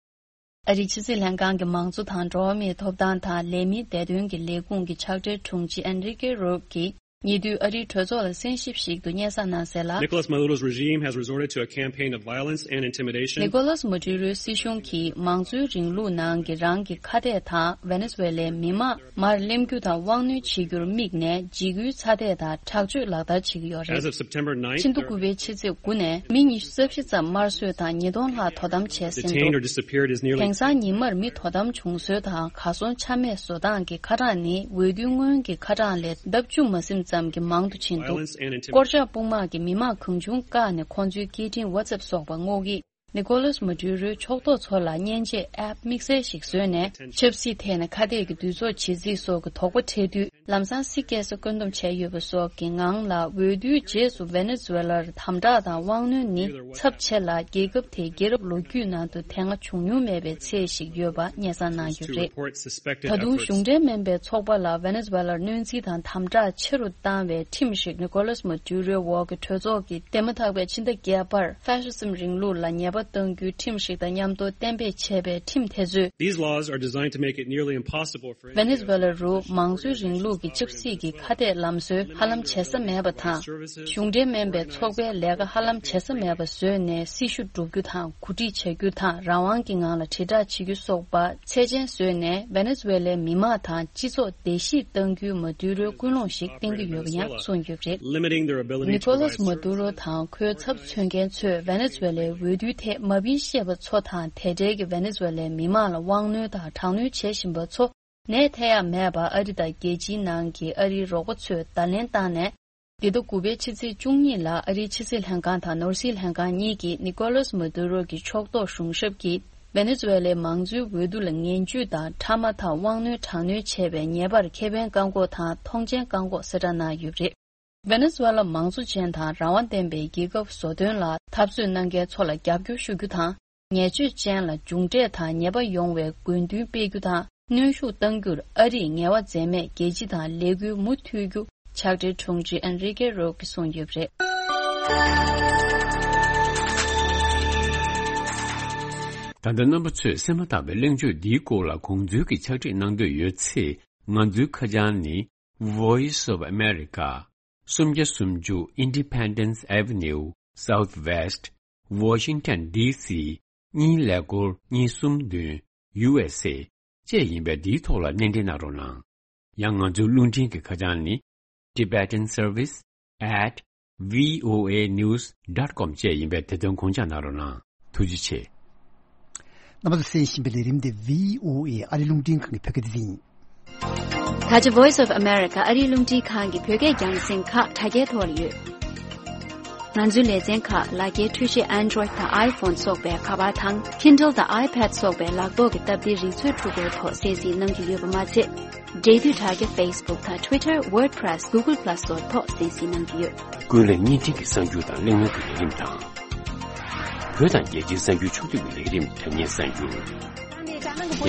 ཨ་རིའི་ཕྱི་སྲིད་ལྷན་ཁང་གི་མང་གཙོ་དང་འགྲོ་བ་མིའི་ཐོབ་ཐང་དང་ལས་མིའི་བདེ་དོན་གྱི་ལས་ཁུངས་ཀྱི་ཕྱག་སྦྲེལ་དྲུང་ཆེ་ཨན་རི་ཀེ་རོག་གིས་ཉེ་དུས་ཨ་རིའི་གྲོས་ཚོགས་ལ་གསན་ཞིབ་ཞིག་ཏུ་སྙན་སེང་གནང་གསལ་ལ། Nicolas Maduro's regime has resorted to a campaign of violence and intimidation. ནི་ཀོ་ལཱས་མ་དུ་རོའི་སྲིད་གཞུང་གིས་མང་གཙོའི་རིང་ལུགས་ནང་གི་རང་གི་ཁ་གཏད་དང་ཝེ་ནེ་ཛུ་ཝེ་ལའི་མི་དམངས་མར་ལེན་རྒྱུ་དང་དབང་གནོད་བྱེད་རྒྱུར་དམིགས་ནས་འཇིགས་སྐུལ་ཚ་འདེད་དང་དྲག་སྤྱོད་ལག་བསྟར་བྱེད་ཀྱི་ཡོད་རེད། As of September ninth, ཕྱི་ཟླ་དགུ་པའི་ཕྱི་ཚེས་དགུ་ནས་མི་ཉི་ཤུ་རྩ་བཞི་ཙམ་དམར་གསོད་དང་ཉིས་སྟོང་ལྷག་དོ་དམ་བྱས་ཟིན་འདུག detained or disappeared is nearly དེང་སང་ཉིན་མར་མི་དོ་དམ་བྱུང་སྲོལ་དང་གར་སོང་ཆ་མེད་བཟོ་སྟངས་ཀྱི་ཁ་གྲངས་ནི་འོས་བསྡུའི་སྔོན་གྱི་ཁ་གྲངས་ལས་ལྡབ་བཅུ་མ་ཟིན་ཙམ་གྱི་མང་དུ་ཕྱིན་འདུག violence and intimidation. སྐོར་ལྕག་དཔུང་དམག་གིས་མི་མང་གང་བྱུང་བཀག་ནས་ཁོང་ཚོའི་སྐད་འཕྲིན་ཝ་ཙེབ་སོགས་པ་སྔོག་གིས། ནི་ཀོ་ལཱས་མ་དུ་རོའི་ཕྱོགས་གཏོགས་ཚོ་ལ་མཉེན་ཆས་ཨེབ་དམིགས་བསལ་ཞིག་བཟོས་ནས་ཆབ་སྲིད་ཐད་ནས་ཁ་གཏད་ཀྱི་འདུས་ཚོགས་བྱེད་རྩིས་སོགས་ཀྱི་དོགས་པ་འཕྲད་དུས་ལམ་སང་སྲིད་སྐྱེལ་ས་བཀོད་འདོམས་བྱས་ཡོད་པ་སོགས་ཀྱི་ངང་ལ་འོས་བསྡུའི་རྗེས་སུ་ཝེ་ནེ་ཛུ་ཝེ་ལར་དམ་དྲག་དང་དབང་གནོན་ནི་ཚབས་ཆེ་ལ་རྒྱལ་ཁབ་དེའི་རྒྱལ་རབས་ལོ་རྒྱུས་ནང་དུ་དེ་སྔ་བྱུང་མྱོང་མེད་པའི་ཚད་ཞིག་ཡོད་པ་སྙན་སེང་གནང་ཡོད་པ་རེད། ད་དུང་གཞུང་འབྲེལ་མིན་པའི་ཚོགས་པ་ལ་ཝེ་ནེ་ཛུ་ཝེ་ལར་གནོན་འཚེ་དང་དམ་དྲག་ཆེ་རུ་བཏང་བའི་ཁྲིམས་ཤིག་ནི་ཀོ་ལཱས་མ་དུ་རོའི་འོག་གི་གྲོས་ཚོགས་ཀྱིས་འདས་མ་ཐག་པའི་ཕྱི་ཟླ་བརྒྱད་པར་ཧྥ་ཤི་སིམ་རིང་ལུགས་ལ་ཉེས་པ་གཏང་རྒྱུའི་ཁྲིམས་ཤིག་དང་མཉམ་དུ་གཏན་འབེབས་བྱས་པའི་ཁྲིམས་དེ་ཚོས། These laws are designed to make it nearly impossible for ཝེ་ནེ་ཛུ་ཝེ་ལ་རུ་མང་གཙོའི་རིང་ལུགས་ཀྱི་ཆབ་སྲིད་ཀྱི་ཁ་གཏད་ལམ་སྲོལ་ཧ་ལམ་བྱེད་ས་མེད་པ་དང་། གཞུང་འབྲེལ་མིན་པའི་ཚོགས་པའི་ལས་ཀ་ཧ་ལམ་བྱེད་ས་མེད་པ་བཟོས་ནས་སྲི་ཞུ་སྒྲུབ་རྒྱུ་དང་གོ་སྒྲིག་བྱ་རྒྱུ་དང་རང་དབང་གི་ངང་ལ་དྲིལ་བསྒྲགས་བྱེད་རྒྱུ་སོགས་པ་ཚད་ཆེན་བཟོས་ནས་ཝེ་ནེ་ཛུ་ཝེ་ལའི་མི་དམངས་དང་སྤྱི་ཚོགས་བརྡལ་བཤིག་གཏང་རྒྱུའི་མ་དུ་རོའི་ཀུན་སློང་ཞིག་བསྟན་གྱི་ཡོད་པ་ཡང་གསུངས་ཡོད་པ་རེད། Limiting their ability to ནི་ཀོ་ལཱས་མ་དུ་རོ་དང་ཁོའི་ཚབ་མཚོན་མཁན་ཚོས་ཝེ་ནེ་ཛུ་ཝེ་ལའི་འོས་བསྡུའི་ཐད་མ་ཕན་ཤེས་པ་ཚོ་དང་དེ་འབྲེལ་གྱི་ཝེ་ནེ་ཛུ་ཝེ་ལའི་མི་དམངས་ལ་དབང་གནོད་དང་དྲག་གནོན་བྱེད་བཞིན་པ་ཚོ་ནས་ཐེ་ཡག་མེད་པར་ཨ་རི་དང་རྒྱལ་སྤྱིའི་ནང་གི་ཨ་རིའི་རོགས་པ་ཚོས་བརྡ་ལན་བཏང་ནས། འདི་ཟླ་དགུ་པའི་ཕྱི་ཚེས་བཅུ་གཉིས་ལ་ཨ་རིའི་ཕྱི་སྲིད་ལྷན་ཁང་དང་ནོར་སྲིད་ལྷན་ཁང་གཉིས་ཀྱིས་ནི་ཀོ་ལཱས་མ་དུ་རོ་གི་ཕྱོགས་གཏོགས་གཞུང་ཞབས་ཀྱིས་ ཝེ་ནེ་ཛུ་ཝེ་ལའི་མང་གཙོའི་འོས་བསྡུ་ལ་ངན་ཇུས་དང་ཁྲ་མ་ཐག་དབང་གནོད་དྲག་གནོན་བྱས་པའི་ཉེས་པར་ཁེ་ཕན་བཀག་འགོག་དང་མཐོང་མཆན་བཀག་འགོག་གསལ་བསྒྲགས་གནང་ཡོད་པ་རེད། ཝེ་ནེ་ཛུ་ཝེ་ལ་མང་གཙོ་ཅན་དང་རང་དབང་ལྡན་པའི་རྒྱལ་ཁབ་བཟོ་དོན་ལ་འཐབ་རྩོད་གནང་མཁན་ཚོ་ལ་རྒྱབ་སྐྱོར་ཞུ་རྒྱུ་དང་། ཉེས་སྤྱོད་ཅན་ལ་མཇུག་འབྲས་དང་ཉེས་པ་ཡོང་བའི་དགོས་འདུན་སྤེལ་རྒྱུ་དང་། གནོན་ཤུགས་གཏང་རྒྱུར་ཨ་རིས་ངལ་བ་འཛེམས་མེད་རྒྱལ་སྤྱི་དང་ལས་འགུལ་མུ་མཐུད་རྒྱུ། ཕྱག་སྦྲེལ་དྲུང་ཆེ་ཨན་རི་ཀེ་རོ་ཀིས་གསུངས་ཡོད་པ་རེད། ད་ལྟ་རྣམ་པ་ཚོས་གསན་མ་ཐག་པའི་གླེང་བརྗོད་འདིའི་སྐོར་ལ་དགོངས་ཚུལ་གྱི་ཕྱག་བྲིས་གནང་འདོད་ཡོད་ཚེ། ང་ཚོའི་ཁ་བྱང་ནི། Voice of America། སུམ་བརྒྱ་སུམ་ཅུ་Independence Avenue Southwest Washington D C གཉིས་ཀླད་ཀོར་གཉིས་གསུམ་བདུན་U S A བཅས་ཡིན་པས། འདིའི་ཐོག་ལ་སྣེ་འདྲེན་གནང་རོགས་གནང་། ཡང་ང་ཚོའི་རླུང་འཕྲིན་གྱི་ཁ་བྱང་ནི། Tibetan Service at V O A News dot com བཅས་ཡིན་པས། དེ་དོན་དགོངས་འཇགས་གནང་རོགས་གནང་། ཐུགས་རྗེ་ཆེ། རྣམ་པ་ཚོས་གསན་བཞིན་པའི་ལས་རིམ་དེ་V O A ཨ་རིའི་རླུང་འཕྲིན་ཁང་གི་བོད་སྐད་སྡེ་ཚན་ཡིན། ད་ཆ་Voice of America ཨ་རིའི་རླུང་འཕྲིན་ཁང་གི་བོད་སྐད་རྒྱང་སྲིང་ཁག་དྲ་རྒྱའི་ཐོག་ལ་ཡོད། ང་ཚོའི་ལེ་ཚན་ཁག་ལག་འཁྱེར་འཕྲུལ་ཆས་Android དང་iPhone སོགས་པའི་ཁ་པར་དང་Kindle དང་iPad སོགས་པའི་ལག་ཐོག་གི་སྟབས་བདེའི་རིག་མཛོད་འཕྲུལ་འཁོར་ཐོག་གསན་གཟིགས་གནང་རྒྱུ་ཡོད་པ་མ་ཚད། འབྲེལ་མཐུད་དྲ་རྒྱ་Facebook དང་Twitter WordPress Google Plus སོགས་ཐོག་གསན་གཟིགས་གནང་རྒྱུ་ཡོད། ཀུན་གླེང་བརྙན་འཕྲིན་གྱི་གསར་འགྱུར་དང་གླེང་མོལ་གྱི་ལས་རིམ་དང་། བོད་དང་རྒྱལ་སྤྱིའི་གསར་འགྱུར་ཕྱོགས་བསྡུས་ཀྱི་ལས་རིམ་དྲ་བརྙན་གསར་འགྱུར།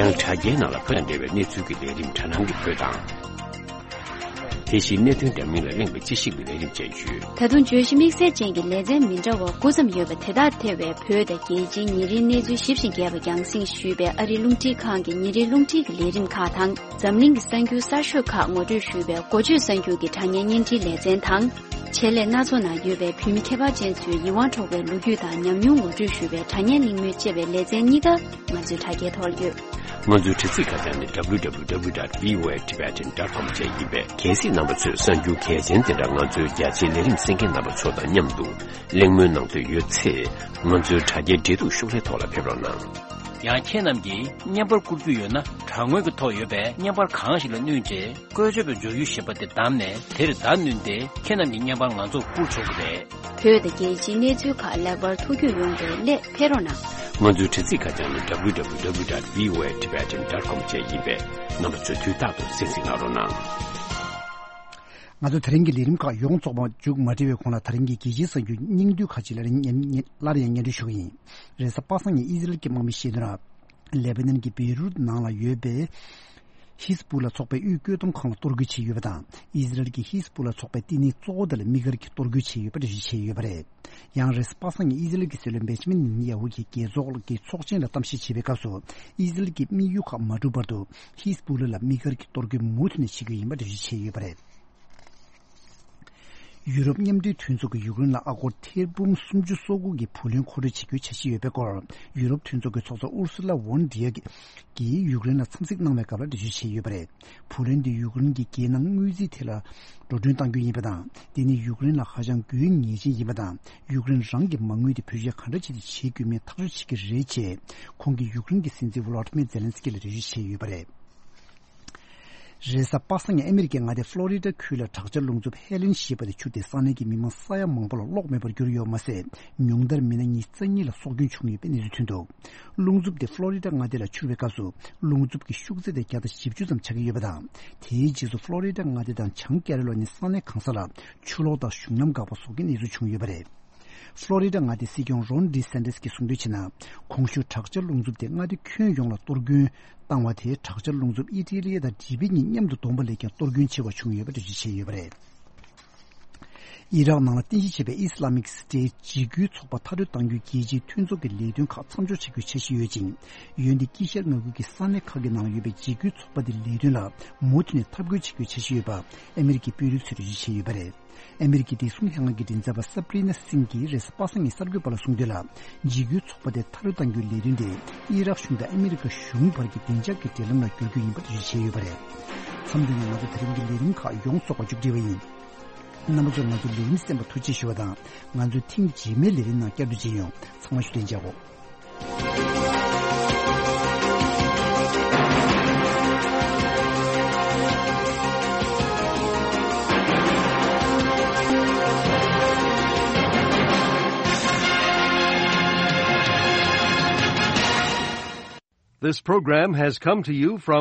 ཡང་དྲ་རྒྱའི་ནང་ལ་བོད་དང་འབྲེལ་བའི་གནས་ཚུལ་གྱི་ལས་རིམ་དྲ་སྣང་གི་བོད་དང་། དེ་བཞིན་གནད་དོན་འདྲ་མིན་ལ་གླེང་བའི་དཔྱད་ཞིབ་ཀྱི་ལས་རིམ་བཅས་ཡོད། ད་དུང་བརྗོད་གཞི་དམིགས་བསལ་ཅན་གྱི་ལེ་ཚན་མི་འདྲ་བ་དགུ་ཙམ་ཡོད་པ་དེ་དག་ཐེ་བའི་བོད་དང་རྒྱལ་སྤྱིའི་ཉིན་རེའི་གནས་ཚུལ་ཞིབ་ཅིང་རྒྱས་པ་རྒྱང་སྲིང་ཞུས་པའི་ཨ་རིའི་རླུང་འཕྲིན་ཁང་གི་ཉིན་རེའི་རླུང་འཕྲིན་གྱི་ལས་རིམ་ཁག་དང་། འཛམ་གླིང་གི་གསར་འགྱུར་གསར་ཤོས་ཁག་ངོ་སྤྲོད་ཞུས་པའི་འགོ་བརྗོད་གསར་འགྱུར་གྱི་དྲ་བརྙན་བརྙན་འཕྲིན་ལེ་ཚན་དང་། ཆེད་ལས་སྣ་ཚོགས་ནང་ཡོད་པའི་བོད་མི་ཁྱད་པར་ཅན་ཚོའི་ཡིད་དབང་འཕྲོག་པའི་ལོ་རྒྱུས་དང་ཉམས་མྱོང་ངོ་སྤྲོད་ཞུ་བའི་དྲ་བརྙན་གླེང་མོལ་བཅས་པའི་ལེ་ཚན་གཉིས་ཀ་ང་ཚོའི་དྲ་རྒྱའི་ཐོག་ལ་ཡོད། ང་ཚོའི་དྲ་ཚིགས་ཁ་བྱང་ནི་W W W dot V O A Tibetan dot com བཅས་ཡིན་པས། གལ་སྲིད་རྣམ་པ་ཚོས་གསར་འགྱུར་གལ་ཆེན་དེ་འདྲ་ང་ཚོའི་རྒྱ་ཆེའི་ལས་རིམ་གསན་མཁན་རྣམ་པ་ཚོ་དང་མཉམ་དུ་གླེང་མོལ་གནང་འདོད་ཡོད་ཚེ། ང་ཚོའི་དྲ་རྒྱའི་འབྲེལ་གཏུག་ཤོག་ལྷེ་ཐོག་ལ་ཕེབས་རོགས་གནང་། ཡང་ཁྱེད་རྣམས་ཀྱིས་བརྙན་པར་བསྐུར་རྒྱུ་ཡོད་ན། དྲ་ངོས་ཀྱི་ཐོག་ཡོད་པའི་བརྙན་པར་གང་ཞིག་ལ་བསྣུན་རྗེས། བཀོལ་སྤྱོད་པའི་འབྱོར་ཡུལ་ཞེས་པ་དེ་བདམས་ནས། དེར་བརྡ་བསྣུན་ཏེ། ཁྱེད་རྣམས་ཀྱི་བརྙན་པར་ང་ཚོར་བསྐུར་ཆོག་གི་རེད། བོད་དང་རྒྱལ་སྤྱིའི་གནས་ཚུལ་ཁག་ལེགས་པར་ཐུགས་རྒྱུས་ཡོང་བའི་སླད་ཕེབས་རོགས་གནང་། ང་ཚོའི་དྲ་ཚིགས་ཁ་བྱང་ནི་W W W dot V O A Tibetan dot com བཅས་ཡིན་པས། རྣམ་པ་ཚོས་དུས་རྟག་ཏུ་གསན་གཟིགས་གནང་རོགས་གནང་། ང་ཚོ་དེ་རིང་གི་ལས་རིམ་ཁག་ཡོངས་རྫོགས་པ་མཇུག་མ་སྒྲིལ་བའི་གོང་ལ། དེ་རིང་གི་རྒྱལ་སྤྱིའི་གསར་འགྱུར་སྙིང་བསྡུས་ཁག་ཅིག་ལ་རིང་སླར་ཡང་སྙན་སྒྲོན་ཞུ་གི་ཡིན། རེས་གཟའ་པ་སངས་ཉིན་ཨི་ཟི་རལ་གྱི་དམག་མི་ཤེས་དོན་ར། ལེ་པ་ནན་གྱི་བེ་རུད་ནང་ལ་ཡོད་པའི་ཧི་ཟ་བུ་ལ་ཚོགས་པའི་དབུས་བཀོད་འདོམས་ཁང་ལ་གཏོར་རྒོལ་བྱས་ཡོད་པ་དང་། ཨི་ཟི་རལ་གྱིས་ཧི་ཟ་བུ་ལ་ཚོགས་པའི་བསྟི་གནས་གཙོ་བོ་དེ་ལ་དམིགས་བཀར་གྱིས་གཏོར་རྒོལ་བྱས་ཡོད་པ་འགྲེལ་བརྗོད་བྱས་ཡོད་པ་རེད། ཡང་རེས་གཟའ་པ་སངས་ཉིན་ཨི་ཟི་རལ་གྱི་སྲིད་བློན་བེན་ཇ་མིན་ནེ་ཐན་ཡ་ཧུ་གིས་རྒྱལ་ཚོགས་ཀྱི་ཚོགས་ཆེན་ལ་གཏམ་བཤད་བྱེད་པའི་སྐབས་སུ། ཨི་ཟི་རལ་གྱི་དམིགས་ཡུལ་ཁག་མ་འགྲུབ་བར་དུ། ཧི་ཟ་བུ་ལ་ལ་དམིགས་བཀར་གྱིས་གཏོར་རྒོལ་མུ་མཐུད་ནས་བྱེད་ཀྱི་ཡོད་པ་འགྲེལ་བརྗོད་བྱས་ཡོད་པ་རེད། ཡུ་རོབ་མཉམ་འབྲེལ་མཐུན་ཚོགས་ཀྱིས་ཡུཀ་རེན་ལ་ཨ་སྒོར་ཐེར་འབུམ་སུམ་ཅུ་སོ་དགུ་གི་བུ་ལོན་མཁོ་སྤྲོད་བྱེད་རྒྱུའི་འཆར་གཞི་ཡོད་པའི་སྐོར། ཡུ་རོབ་མཐུན་ཚོགས་ཀྱི་ཚོགས་གཙོ་ཨུར་སུ་ལ་ཝོན་ཌི་ཡར་གྱིས་ཡུཀ་རེན་ལ་འཚམས་གཟིགས་གནང་བའི་སྐབས་ལ་འགྲེལ་བརྗོད་བྱས་ཡོད་པ་རེད། བུ་ལོན་དེ་ཡུཀ་རེན་གྱི་རྒྱལ་ནང་དངུལ་རྩིས་ཐད་ལ་འགྲོ་གྲོན་གཏང་རྒྱུ་ཡིན་པ་དང་། དེ་ནི་ཡུཀ་རེན་ལ་ཧ་ཅང་དགོས་ངེས་ཅན་ཡིན་པ་དང་། ཡུཀ་རེན་རང་གི་མ་དངུལ་དེ་བེད་སྤྱོད་ག་འདྲ་བྱས་ཏེ་བྱེད་དགོས་མིན་ཐག་གཅོད་བྱེད་ཀྱི་རེད་ཅེས། ཁོང་གིས་ཡུཀ་རེན་གྱི་སྲིད་འཛིན་ཝོ་ལོ་ཏི་མེར་ཛེ་ལན་སི་ཀི་ལ་འགྲེལ་བརྗོད་བྱས་ཡོད་པ་རེད། རེས་གཟའ་པ་སངས་ཉིན་ཨ་མི་རི་ཀའི་མངའ་སྡེ་ཕློ་རི་ཌ་ཁུལ་ལ་དྲག་ཆར་རླུང་འཚུབ་ཧེ་ལེན་ཞེས་པ་དེ་འཕྱུར་ཏེ། ས་གནས་ཀྱི་མི་མང་ས་ཡ་མང་པོ་ལ་གློག་མེད་པར་གྱུར་ཡོད་མ་ཟད། ཉུང་མཐར་མི་སྣ་ཉི་ཤུ་རྩ་གཉིས་ལ་སྲོག་སྐྱོན་བྱུང་ཡོད་པའི་གནས་ཚུལ་ཐོན་འདུག་རླུང་འཚུབ་དེ་ཕློ་རི་ཌ་མངའ་སྡེ་ལ་འཕྱུར་བའི་སྐབས་སུ། རླུང་འཚུབ་ཀྱི་ཤུགས་ཚད་དེ་བརྒྱ་དང་བཞི་བཅུ་ཙམ་ཆགས་ཀྱི་ཡོད་པ་དང་། དེའི་རྗེས་སུ་ཕློ་རི་ཌ་མངའ་སྡེ་དང་བྱང་ཀེ་རོ་ལི་ན་ས་གནས་གང་ས་ལ་ཆུ་ལོག་དང་གཞུང་ལམ་འགག་པ་སོགས་ཀྱི་གནས་ཚུལ་བྱུང་ཡོད་པ་རེད། ཕློ་རི་ཌ་མངའ་སྡེའི་སྲིད་སྐྱོང་རོན་ཌི་སན་ཏེ་སི་གིས་གསུངས་དོན་བྱས་ན། གོང་ཞུས་དྲག་ཆར་རླུང་འཚུབ་དེ་མངའ་སྡེ་ཁྱོན་ཡོངས་ལ་གཏོར་སྐྱོན་བཏང་བ་དེས། དྲག་ཆར་རླུང་འཚུབ་ཨི་ཊ་ལི་དང་ལི་བི་གཉིས་མཉམ་དུ་བསྡོམས་པ་ལས་ཀྱང་གཏོར་སྐྱོན་ཆེ་བ་བྱུང་ཡོད་པ་འགྲེལ་བརྗོད་བྱས་ཡོད་པ་རེད། ཨི་རག་ནང་ལ་རྟེན་གཞི་བྱས་པའི་ཨི་སི་ལ་མིག་སི་ཊེ་ཊི་འཇིགས་སྐུལ་ཚོགས་པ་མཐའ་སྐྲོད་གཏང་རྒྱུའི་རྒྱལ་སྤྱིའི་མཐུན་ཚོགས་ཀྱི་ལས་དོན་ཁག་མཚམས་འཇོག་བྱེད་རྒྱུའི་འཆར་གཞི་ཡོད་ཅིང་། འོན་ཏེ་དཀྱིལ་ཤར་མངའ་ཁུལ་གྱི་ས་གནས་ཁག་གི་ནང་ཡོད་པའི་འཇིགས་སྐུལ་ཚོགས་པ་དེའི་ལས་དོན་ལ་མུ་མཐུད་ནས་འཐབ་རྒོལ་བྱེད་རྒྱུའི་འཆར་གཞི་ཡོད་པ་ཨ་མི་རི་ཀའི་དཔོན་རིགས་ཚོས་འགྲེལ་བརྗོད་བྱས་ཡོད་པ་རེད། ཨ་མི་རི་ཀའི་བདེ་སྲུང་ལྷན་ཁང་གི་མགྲིན་ཚབ་པ་སབ་རི་ན་སིང་གིས་རེས་གཟའ་པ་སངས་ཉིན་གསར་འགོད་པ་ལ་གསུངས་དོན་ལ། འཇིགས་སྐུལ་ཚོགས་པ་དེ་མཐའ་སྐྲོད་གཏང་རྒྱུའི་ལས་དོན་དེ་ཨི་རག་གཞུང་དང་ཨ་མི་རི་ཀ་གཞུང་བར་གྱི་བདེ་འཇགས་ཀྱི་འབྲེལ་ལམ་ལ་བསྒྱུར་རྒྱུ་ཡིན་པ་འགྲེལ་བརྗོད་བྱས་ཡོད་པ་རེད། མཚམས་འདི་ནས་ང་ཚོ་དེ་རིང་གི་ལས་རིམ་ཁག་ཡོངས་རྫོགས་པ་མཇུག་སྒྲིལ་བ་ཡིན། རྣམ་པ་ཚོས་ང་ཚོའི་ལས་རིམ་གསན་པར་ཐུགས་རྗེ་ཆེ་ཞུ་བ་དང་། ང་ཚོའི་ཐེངས་རྗེས་མའི་ལས་རིམ་ནང་བསྐྱར་དུ་མཇལ་ཡོང་། ཚང་མ་བཞུགས་གདན་འཇགས་སྒོ། This program has come to you from